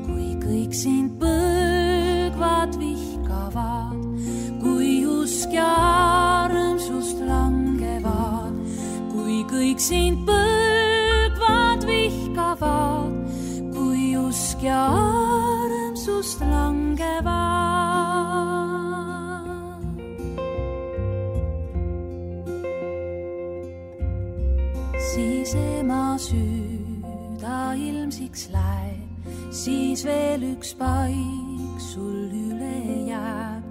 Speaker 6: kui kõik sind põlgvad vihkavad, kui usk ja armsust langevad, kui kõik sind põlgvad vihkavad, kui usk ja armsust langevad. Siis ema süda ilmsiks läheb, siis veel üks paik sul üle jääb,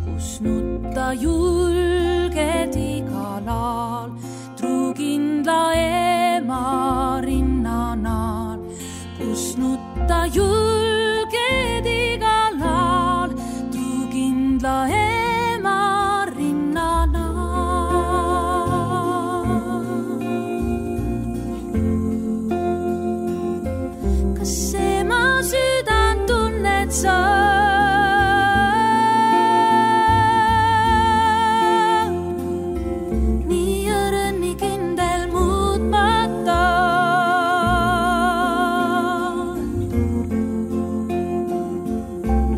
Speaker 6: kus nutta julged igal aal, truukindla ema rinnanaal, kus nutta julged igal aal, truukindla ema rinnanaal. Nii õrn, nii kindel muutmata.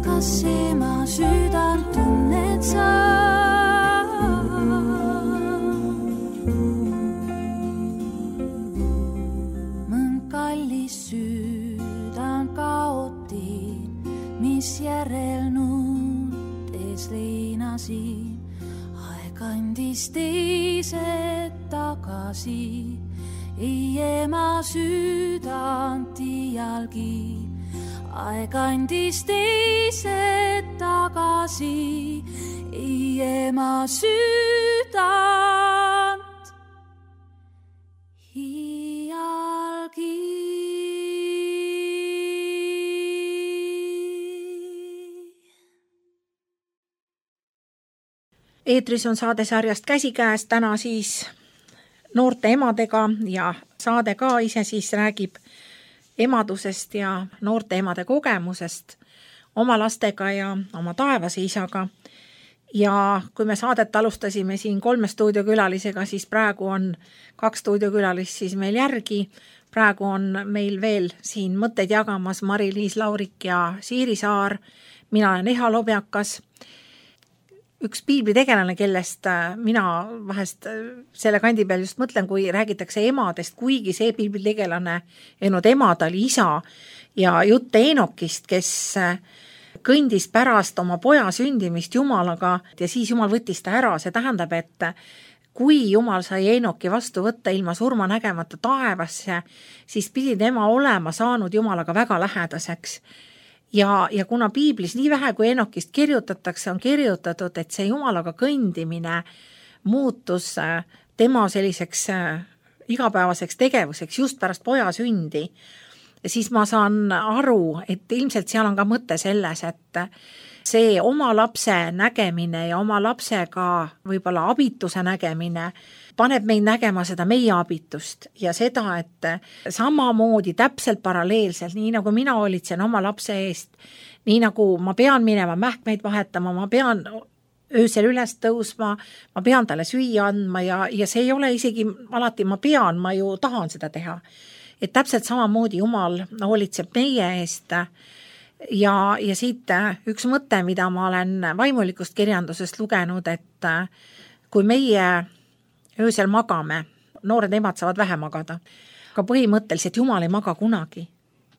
Speaker 6: Kas ema südant tunned sa? Mõnd kallis südant kaotin, mis järel nuutes leinasin, aeg andis teised tagasi, ei ema südant iialgi. Aeg andis teised tagasi, ei ema südant iialgi.
Speaker 2: Eetris on saade sarjast Käsikäes, täna siis noorte emadega ja saade ka ise siis räägib emadusest ja noorte emade kogemusest oma lastega ja oma taevase isaga. Ja kui me saadet alustasime siin 3 stuudiokülalisega, siis praegu on 2 stuudiokülalist siis meil järgi. Praegu on meil veel siin mõtteid jagamas Mari-Liis Laurik ja Siiri Saar. Mina olen Eha Lobjakas. Üks piiblitegelane, kellest mina vahest selle kandi peal just mõtlen, kui räägitakse emadest, kuigi see piiblitegelane ennod emad oli isa ja jutt Eenokist, kes kõndis pärast oma poja sündimist Jumalaga ja siis Jumal võttis ta ära. See tähendab, et kui Jumal sai Eenoki vastu võtta ilma surma nägemata taevasse, siis pidi tema olema saanud Jumalaga väga lähedaseks. Ja kuna piiblis nii vähe kui Eenokist kirjutatakse, on kirjutatud, et see Jumalaga kõndimine muutus tema selliseks igapäevaseks tegevuseks just pärast poja sündi. Ja siis ma saan aru, et ilmselt seal on ka mõte selles, et see oma lapse nägemine ja oma lapsega võib-olla abituse nägemine paneb meid nägema seda meie abitust ja seda, et samamoodi täpselt paralleelselt, nii nagu mina hoolitsen oma lapse eest, nii nagu ma pean minema mähkmeid vahetama, ma pean öösel üles tõusma, ma pean talle süüa andma ja see ei ole isegi alati ma pean, ma ju tahan seda teha. Et täpselt samamoodi Jumal hoolitseb meie eest ja siit üks mõte, mida ma olen vaimulikust kirjandusest lugenud, et kui meie öösel magame, noored emad saavad vähe magada, aga põhimõtteliselt Jumal ei maga kunagi.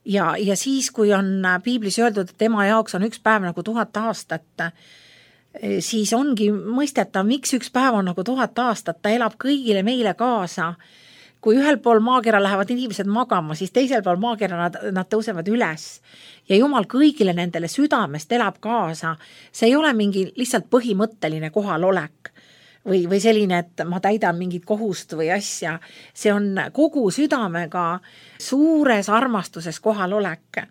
Speaker 2: Ja siis, kui on piiblis öeldud, et ema jaoks on üks päev nagu 1000 aastat, siis ongi mõistetav, miks üks päev on nagu 1000 aastat, ta elab kõigile meile kaasa. Kui ühel pool maakera lähevad inimesed magama, siis teisel pool maakera nad tõusevad üles. Ja Jumal kõigile nendele südamest elab kaasa. See ei ole mingi lihtsalt põhimõtteline kohalolek või selline, et ma täidan mingit kohust või asja. See on kogu südamega suures armastuses kohalolek.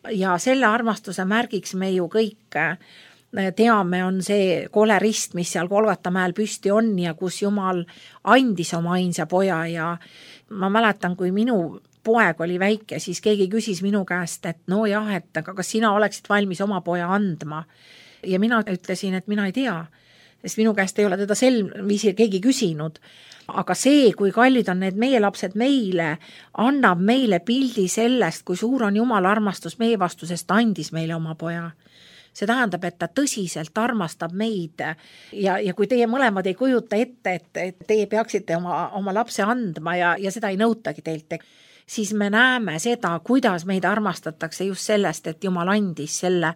Speaker 2: Ja selle armastuse märgiks me ju kõik teame, on see kole rist, mis seal Golgata mäel püsti on ja kus Jumal andis oma ainsa poja ja ma mäletan, kui minu poeg oli väike, siis keegi küsis minu käest, et no jah, et aga kas sina oleksid valmis oma poja andma? Ja mina ütlesin, et mina ei tea, sest minu käest ei ole teda sel viisil keegi küsinud. Aga see, kui kallid on need meie lapsed meile, annab meile pildi sellest, kui suur on Jumala armastus meie vastu, sest ta andis meile oma poja. See tähendab, et ta tõsiselt armastab meid ja kui teie mõlemad ei kujuta ette, et teie peaksite oma lapse andma ja seda ei nõutagi teilt, siis me näeme seda, kuidas meid armastatakse just sellest, et Jumal andis selle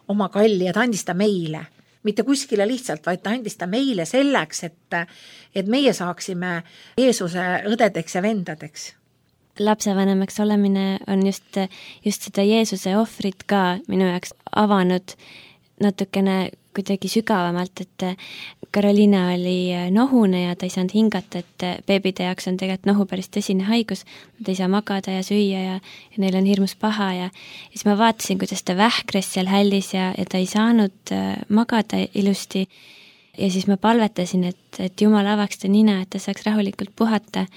Speaker 2: oma kalli ja ta andis ta meile. Mitte kuskile lihtsalt, vaid ta andis ta meile selleks, et meie saaksime Jeesuse õdedeks ja vendadeks.
Speaker 1: Lapsevanemaks olemine on just seda Jeesuse ohvrit ka minu jaoks avanud natukene kuidagi sügavamalt, et Karoliina oli nohune ja ta ei saanud hingata, et beebide jaoks on tegelikult nohu päris tõsine haigus, nad ei saa magada ja süüa ja neil on hirmus paha ja siis ma vaatasin, kuidas ta vähkres seal hällis ja ta ei saanud magada ilusti ja siis ma palvetasin, et Jumal avaks ta nina, et ta saaks rahulikult puhata.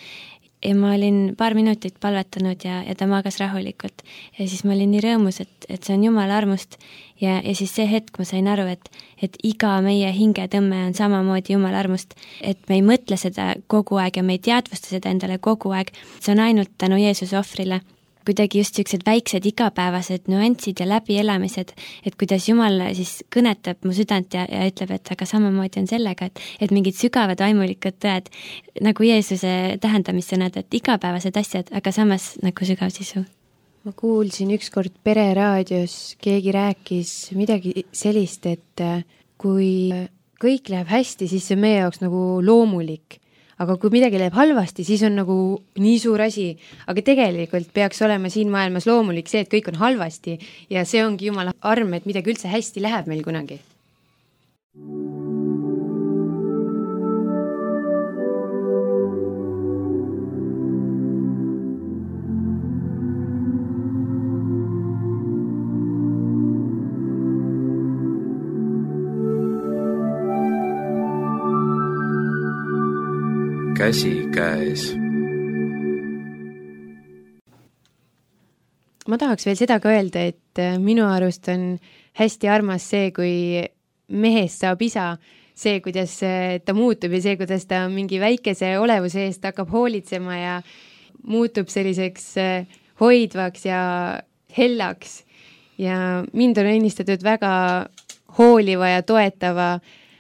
Speaker 1: Ja ma olin paar minutit palvetanud ja ta magas rahulikult. Ja siis ma olin nii rõõmus, et see on Jumala armust. Ja siis see hetk ma sain aru, et iga meie hingetõmme on samamoodi Jumala armust. Et me ei mõtle seda kogu aeg ja me ei teadvusta seda endale kogu aeg. See on ainult tänu Jeesuse ohvrile. Kuidagi just sellised väiksed igapäevased nüansid ja läbielamised, et kuidas Jumal siis kõnetab mu südant ja ütleb, et aga samamoodi on sellega, et mingid sügavad vaimulikud tõed, nagu Jeesuse tähendamissõnad, et igapäevased asjad, aga samas nagu sügav sisu.
Speaker 4: Ma kuulsin ükskord pereraadios, keegi rääkis midagi sellist, et kui kõik läheb hästi, siis see on meie jaoks nagu loomulik. aga kui midagi läheb halvasti, siis on nagu nii suur asi, aga tegelikult peaks olema siin maailmas loomulik see, et kõik on halvasti ja see ongi Jumala arm, et midagi üldse hästi läheb meil kunagi.
Speaker 7: Käsikäes.
Speaker 4: Ma tahaks veel seda ka öelda, et minu arust on hästi armas see, kui mehest saab isa, see, kuidas ta muutub ja see, kuidas ta mingi väikese olevuse eest hakkab hoolitsema ja muutub selliseks hoidvaks ja hellaks. Ja mind on õnnistatud väga hooliva ja toetava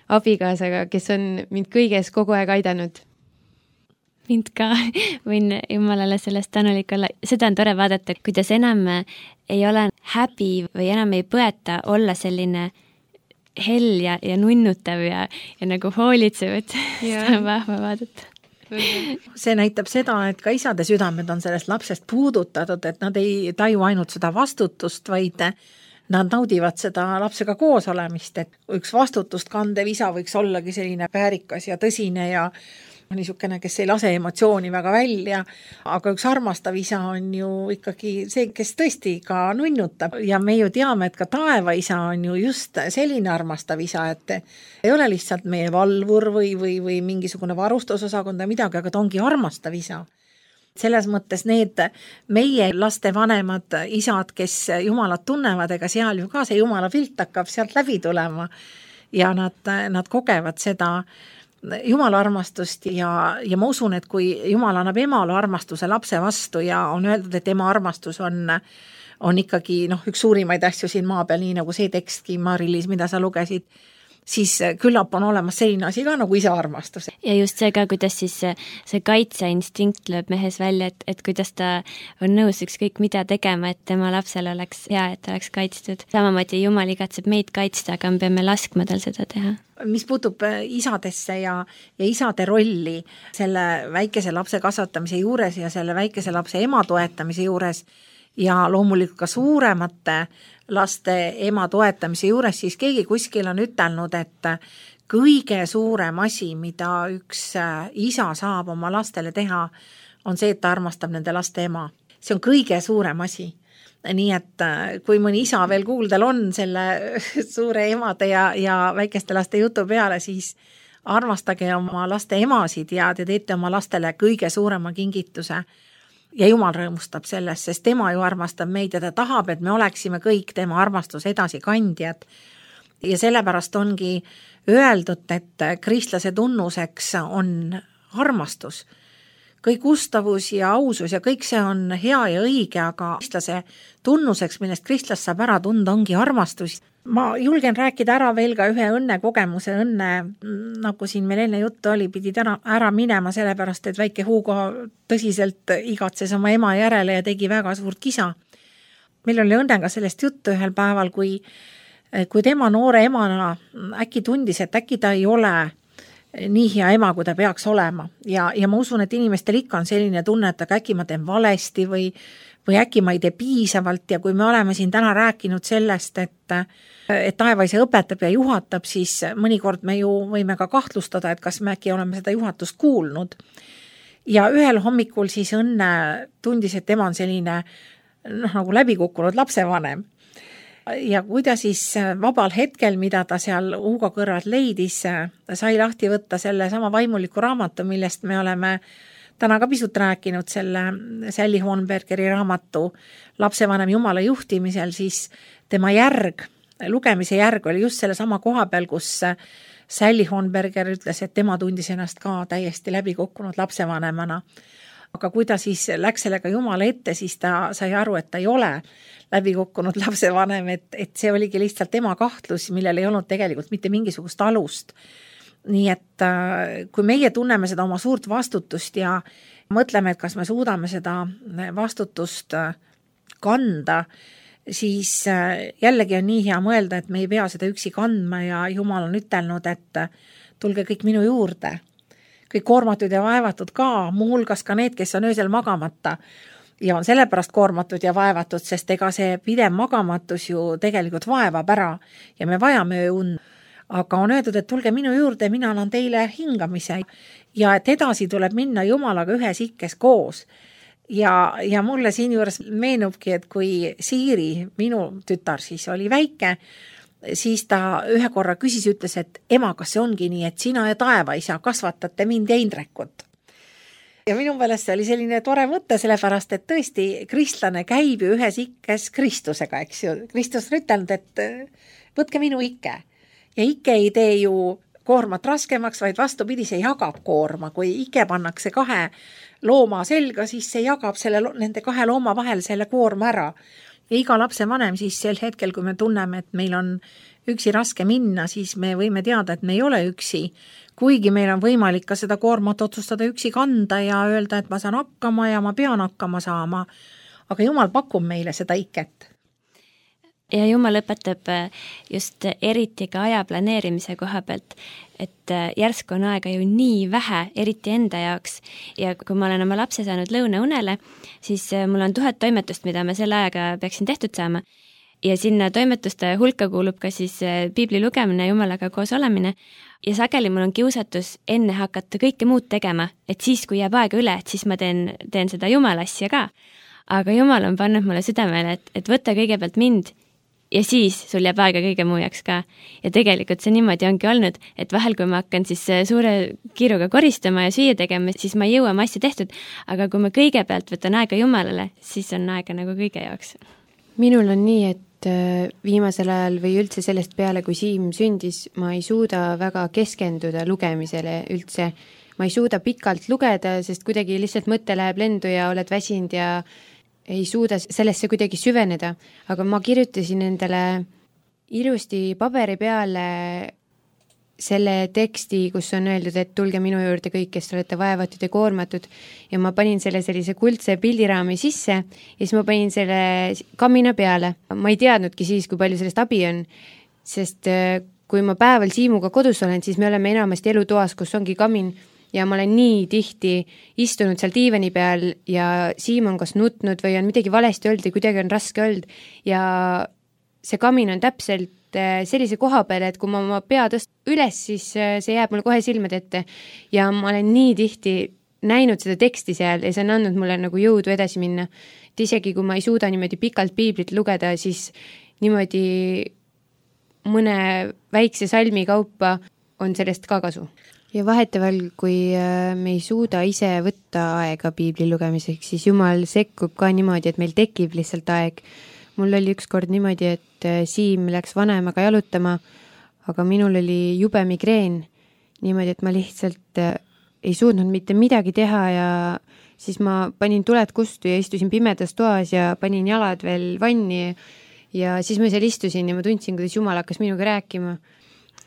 Speaker 4: abikaasaga, kes on mind kõiges kogu aeg aidanud.
Speaker 1: Mind ka võin Jumalale sellest tänulik olla. Seda on tore vaadata, kuidas enam ei ole häbi või enam ei põeta olla selline hell ja nunnutav ja nagu hoolitsev, et seda on vahva vaadata.
Speaker 2: See näitab seda, et ka isade südamed on sellest lapsest puudutatud, et nad ei taju ainult seda vastutust, vaid nad naudivad seda lapsega koos olemist, et üks vastutust kandev isa võiks ollagi selline väärikas ja tõsine ja niisugune, kes ei lase emotsiooni väga välja, aga üks armastav isa on ju ikkagi see, kes tõesti ka nunnutab ja me ju teame, et ka taeva isa on ju just selline armastav isa, et ei ole lihtsalt meie valvur või mingisugune varustusosakond või midagi, aga ta ongi armastav isa. Selles mõttes need meie laste vanemad isad, kes Jumalat tunnevad, ega seal ju ka see Jumala pilt hakkab sealt läbi tulema ja nad kogevad seda Jumala armastust ja ma usun, et kui Jumal annab emale armastuse lapse vastu ja on öeldud, et ema armastus on ikkagi üks suurimaid asju siin maa peal, nii nagu see tekstki, Mari-Liis, mida sa lugesid, siis küllap on olemas selline asi ka nagu isa armastus.
Speaker 1: Ja just see ka, kuidas siis see kaitseinstinkt lööb mehes välja, et kuidas ta on nõus ükskõik mida tegema, et tema lapsel oleks hea, et ta oleks kaitstud. Samamoodi Jumal igatseb meid kaitsta, aga me peame laskma tal seda teha.
Speaker 2: Mis puutub isadesse ja isade rolli selle väikese lapse kasvatamise juures ja selle väikese lapse ema toetamise juures ja loomulikult ka suuremate laste ema toetamise juures, siis keegi kuskil on ütelnud, et kõige suurem asi, mida üks isa saab oma lastele teha, on see, et ta armastab nende laste ema. See on kõige suurem asi. Nii et kui mõni isa veel kuuldel on selle suure emade ja väikeste laste jutu peale, siis armastage oma laste emasid ja te teete oma lastele kõige suurema kingituse. Ja Jumal rõõmustab sellest, sest tema ju armastab meid ja ta tahab, et me oleksime kõik tema armastuse edasikandjad. Ja sellepärast ongi öeldud, et kristlase tunnuseks on armastus. Kõik ustavus ja ausus ja kõik see on hea ja õige, aga kristlase tunnuseks, millest kristlast saab ära tunda, ongi armastus. Ma julgen rääkida ära veel ka ühe õnnekogemuse. Nagu siin meil enne juttu oli, pidid ära minema sellepärast, et väike Hugo tõsiselt igatses oma ema järele ja tegi väga suurt kisa. Meil oli õnnega sellest juttu ühel päeval, kui tema noore emana äkki tundis, et äkki ta ei ole nii hea ema, kui ta peaks olema. Ja ma usun, et inimestel ikka on selline tunne, et äkki ma teen valesti või äkki ma ei tee piisavalt ja kui me oleme siin täna rääkinud sellest, et taevaisa õpetab ja juhatab, siis mõnikord me ju võime ka kahtlustada, et kas me äkki oleme seda juhatust kuulnud. Ja ühel hommikul siis Õnne tundis, et tema on selline nagu läbikukkunud lapsevanem. Ja kui ta siis vabal hetkel, mida ta seal Hugo kõrvalt leidis, sai lahti võtta selle sama vaimuliku raamatu, millest me oleme täna ka pisut rääkinud, selle Sally Hornbergeri raamatu Lapsevanem Jumala juhtimisel, siis tema lugemise järg oli just selle sama koha peal, kus Sally Hornberger ütles, et tema tundis ennast ka täiesti läbikukkunud lapsevanemana. Aga kui ta siis läks sellega Jumala ette, siis ta sai aru, et ta ei ole läbikukkunud lapsevanem, et see oligi lihtsalt tema kahtlus, millel ei olnud tegelikult mitte mingisugust alust. Nii et kui meie tunneme seda oma suurt vastutust ja mõtleme, et kas me suudame seda vastutust kanda, siis jällegi on nii hea mõelda, et me ei pea seda üksi kandma ja Jumal on ütelnud, et tulge kõik minu juurde. kõik koormatud ja vaevatud ka, muuhulgas ka need, kes on öösel magamata ja on sellepärast koormatud ja vaevatud, sest ega see pidev magamatus ju tegelikult vaevab ära ja me vajame ööund. Aga on öeldud, et tulge minu juurde, mina annan teile hingamise ja et edasi tuleb minna Jumalaga ühes ikkes koos. Ja mulle siin juures meenubki, et kui Siiri, minu tütar siis oli väike, siis ta ühe korra küsis, ütles, et ema, kas see ongi nii, et sina ja taevaisa kasvatate mind ja Indrekut. Ja minu meelest see oli selline tore mõte, sellepärast, et tõesti kristlane käib ju ühes ikkes Kristusega, eks ju. Kristus on ütelnud, et võtke minu ikke. Ja ikke ei tee ju koormat raskemaks, vaid vastupidi, see jagab koorma. Kui ikke pannakse 2 looma selga, siis see jagab nende 2 looma vahel selle koorma ära. Ja iga lapse vanem siis sel hetkel, kui me tunneme, et meil on üksi raske minna, siis me võime teada, et me ei ole üksi. Kuigi meil on võimalik ka seda koormat otsustada üksi kanda ja öelda, et ma saan hakkama ja ma pean hakkama saama. Aga Jumal pakub meile seda iket.
Speaker 1: Ja Jumal õpetab just eriti ka aja planeerimise koha pealt, et järsku on aega ju nii vähe, eriti enda jaoks. Ja kui ma olen oma lapse saanud lõunaunele, siis mul on 1000 toimetust, mida ma selle ajaga peaksin tehtud saama. Ja sinna toimetuste hulka kuulub ka siis piibli lugemine, Jumalaga koos olemine. Ja sageli mul on kiusatus enne hakata kõike muud tegema, et siis, kui jääb aega üle, et siis ma teen seda Jumala asja ka. Aga Jumal on pannud mulle südamele, et võta kõigepealt mind, ja siis sul jääb aega kõige muu jaoks ka. Ja tegelikult see niimoodi ongi olnud, et vahel kui ma hakkan siis suure kiiruga koristama ja süüa tegema, siis ma ei jõua oma asja tehtud, aga kui ma kõigepealt võtan aega Jumalale, siis on aega nagu kõige jaoks.
Speaker 4: Minul on nii, et viimasel ajal või üldse sellest peale, kui Siim sündis, ma ei suuda väga keskenduda lugemisele üldse. Ma ei suuda pikalt lugeda, sest kuidagi lihtsalt mõte läheb lendu ja oled väsinud ja ei suuda sellesse kuidagi süveneda, aga ma kirjutasin endale ilusti paberi peale selle teksti, kus on öeldud, et tulge minu juurde kõik, kes olete vaevatud ja koormatud ja ma panin selle sellise kuldse pildiraami sisse ja siis ma panin selle kamina peale. Ma ei teadnudki siis, kui palju sellest abi on, sest kui ma päeval Siimuga kodus olen, siis me oleme enamasti elutoas, kus ongi kamin ja ma olen nii tihti istunud seal diivani peal ja Siim on kas nutnud või on midagi valesti olnud ja kuidagi on raske olnud ja see kamin on täpselt sellise koha peal, et kui ma oma pea tõst üles, siis see jääb mulle kohe silmade ette ja ma olen nii tihti näinud seda teksti seal ja see on andnud mulle nagu jõudu edasi minna. Et isegi kui ma ei suuda niimoodi pikalt piiblit lugeda, siis niimoodi mõne väikse salmi kaupa on sellest ka kasu. Ja vaheteval, kui me ei suuda ise võtta aega piibli lugemiseks, siis Jumal sekkub ka niimoodi, et meil tekib lihtsalt aeg. Mul oli ükskord niimoodi, et Siim läks vanemaga jalutama, aga minul oli jube migreen. Niimoodi, et ma lihtsalt ei suutnud mitte midagi teha ja siis ma panin tuled kustu ja istusin pimedas toas ja panin jalad veel vanni ja siis ma seal istusin ja ma tundsin, kuidas Jumal hakkas minuga rääkima.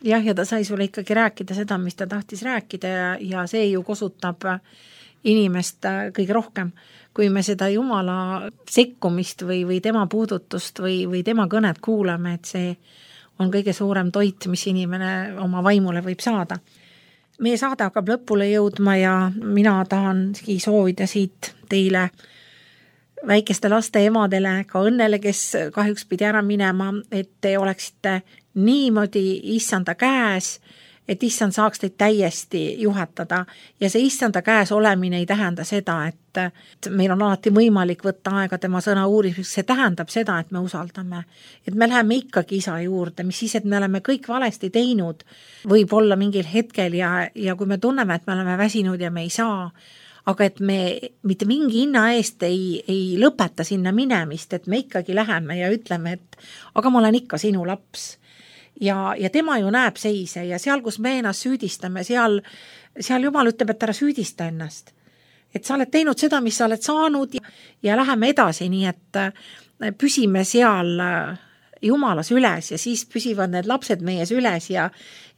Speaker 2: Jah, ja ta sai sulle ikkagi rääkida seda, mis ta tahtis rääkida ja see ju kosutab inimest kõige rohkem. Kui me seda Jumala sekkumist või tema puudutust või tema kõnet kuulame, et see on kõige suurem toit, mis inimene oma vaimule võib saada. Meie saade hakkab lõpule jõudma ja mina tahangi soovida siit teile väikeste laste emadele, ka õnnele, kes kahjuks pidi ära minema, et te oleksite niimoodi issanda käes, et issand saaks teid täiesti juhatada ja see issanda käes olemine ei tähenda seda, et meil on alati võimalik võtta aega tema sõna uurimiseks, see tähendab seda, et me usaldame, et me läheme ikkagi isa juurde, mis siis, et me oleme kõik valesti teinud, võib olla mingil hetkel ja kui me tunneme, et me oleme väsinud ja me ei saa, aga et me mitte mingi hinna eest ei lõpeta sinna minemist, et me ikkagi läheme ja ütleme, et aga ma olen ikka sinu laps. Ja tema ju näeb seise ja seal, kus me ennast süüdistame, seal Jumal ütleb, et ära süüdista ennast. Et sa oled teinud seda, mis sa oled saanud ja läheme edasi, nii et püsime seal Jumalas üles ja siis püsivad need lapsed meies üles ja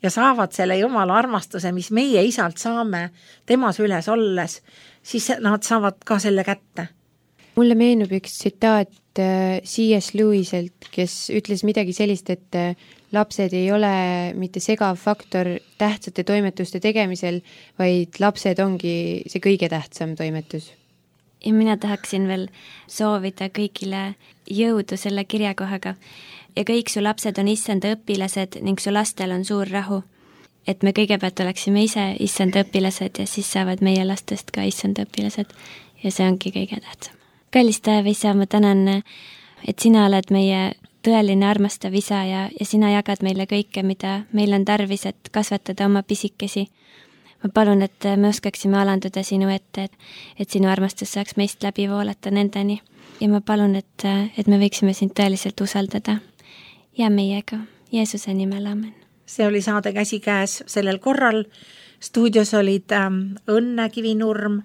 Speaker 2: saavad selle Jumala armastuse, mis meie isalt saame temas üles olles, siis nad saavad ka selle kätte.
Speaker 4: Mulle meenub üks tsitaat C.S. Lewiselt, kes ütles midagi sellist, et lapsed ei ole mitte segav faktor tähtsate toimetuste tegemisel, vaid lapsed ongi see kõige tähtsam toimetus.
Speaker 1: Ja mina tahaksin veel soovida kõigile jõudu selle kirjakohaga. Ja kõik su lapsed on issanda õpilased ning su lastel on suur rahu. Et me kõigepealt oleksime ise issanda õpilased ja siis saavad meie lastest ka issanda õpilased. Ja see ongi kõige tähtsam. Kallis Taeva isa, ma tänan, et sina oled meie tõeline armastav isa ja sina jagad meile kõike, mida meil on tarvis, et kasvatada oma pisikesi. Ma palun, et me oskaksime alanduda sinu ette, et sinu armastus saaks meist läbi voolata nendeni. Ja ma palun, et me võiksime sind tõeliselt usaldada. Ja meiega. Jeesuse nimel, amen.
Speaker 2: See oli saade Käsikäes sellel korral. Stuudios olid Õnne Kivinurm,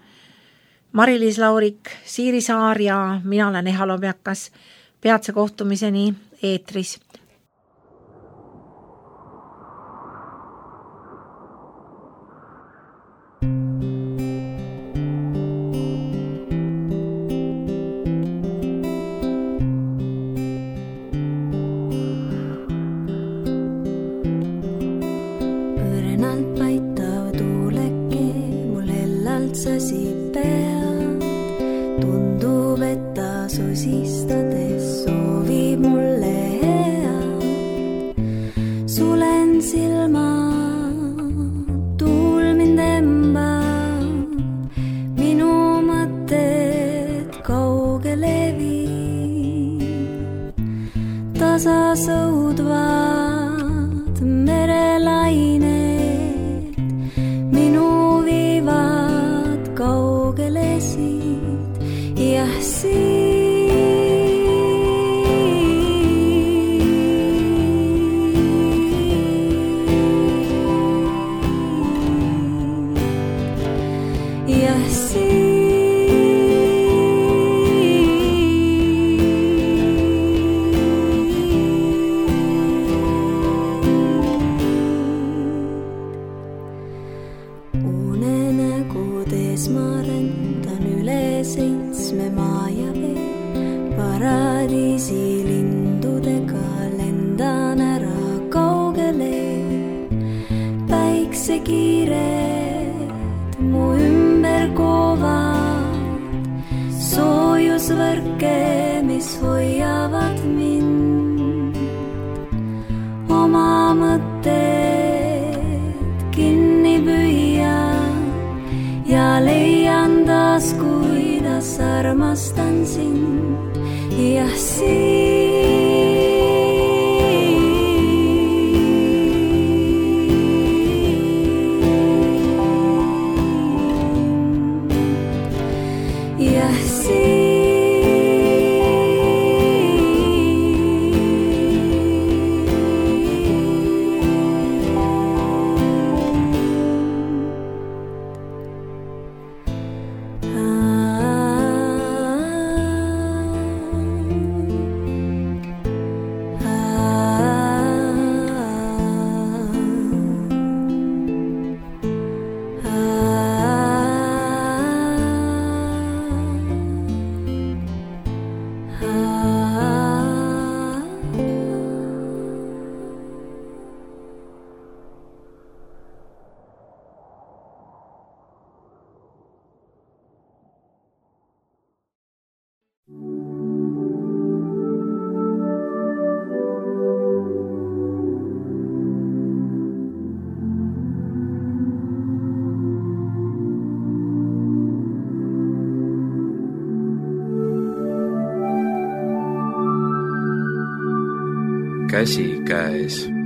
Speaker 2: Mari-Liis Laurik, Siiri Saar ja mina olen Eha Lobjakas. Peatse kohtumiseni eetris.
Speaker 6: Õrnalt paitav tuuleke mul hellalt sasib pead. Tundub, et ta sosistades soovib mulle head. Sulen silma, tuul mind embab, minu mõtted kaugele viib. Tasa sõudvad merelained, minu viivad kaugele siit. Jah, unenägudes ma rändan üle 7 maa ja vee. Paradiisi lindudega lendan ära kaugele. Päiksekiired mu ümber koovad, soojusvõrke, mis hoiavad mind. Oma mõtted kinni püüan ja leian taas, kuidas armastan sind. Jah,
Speaker 7: Käsikäes.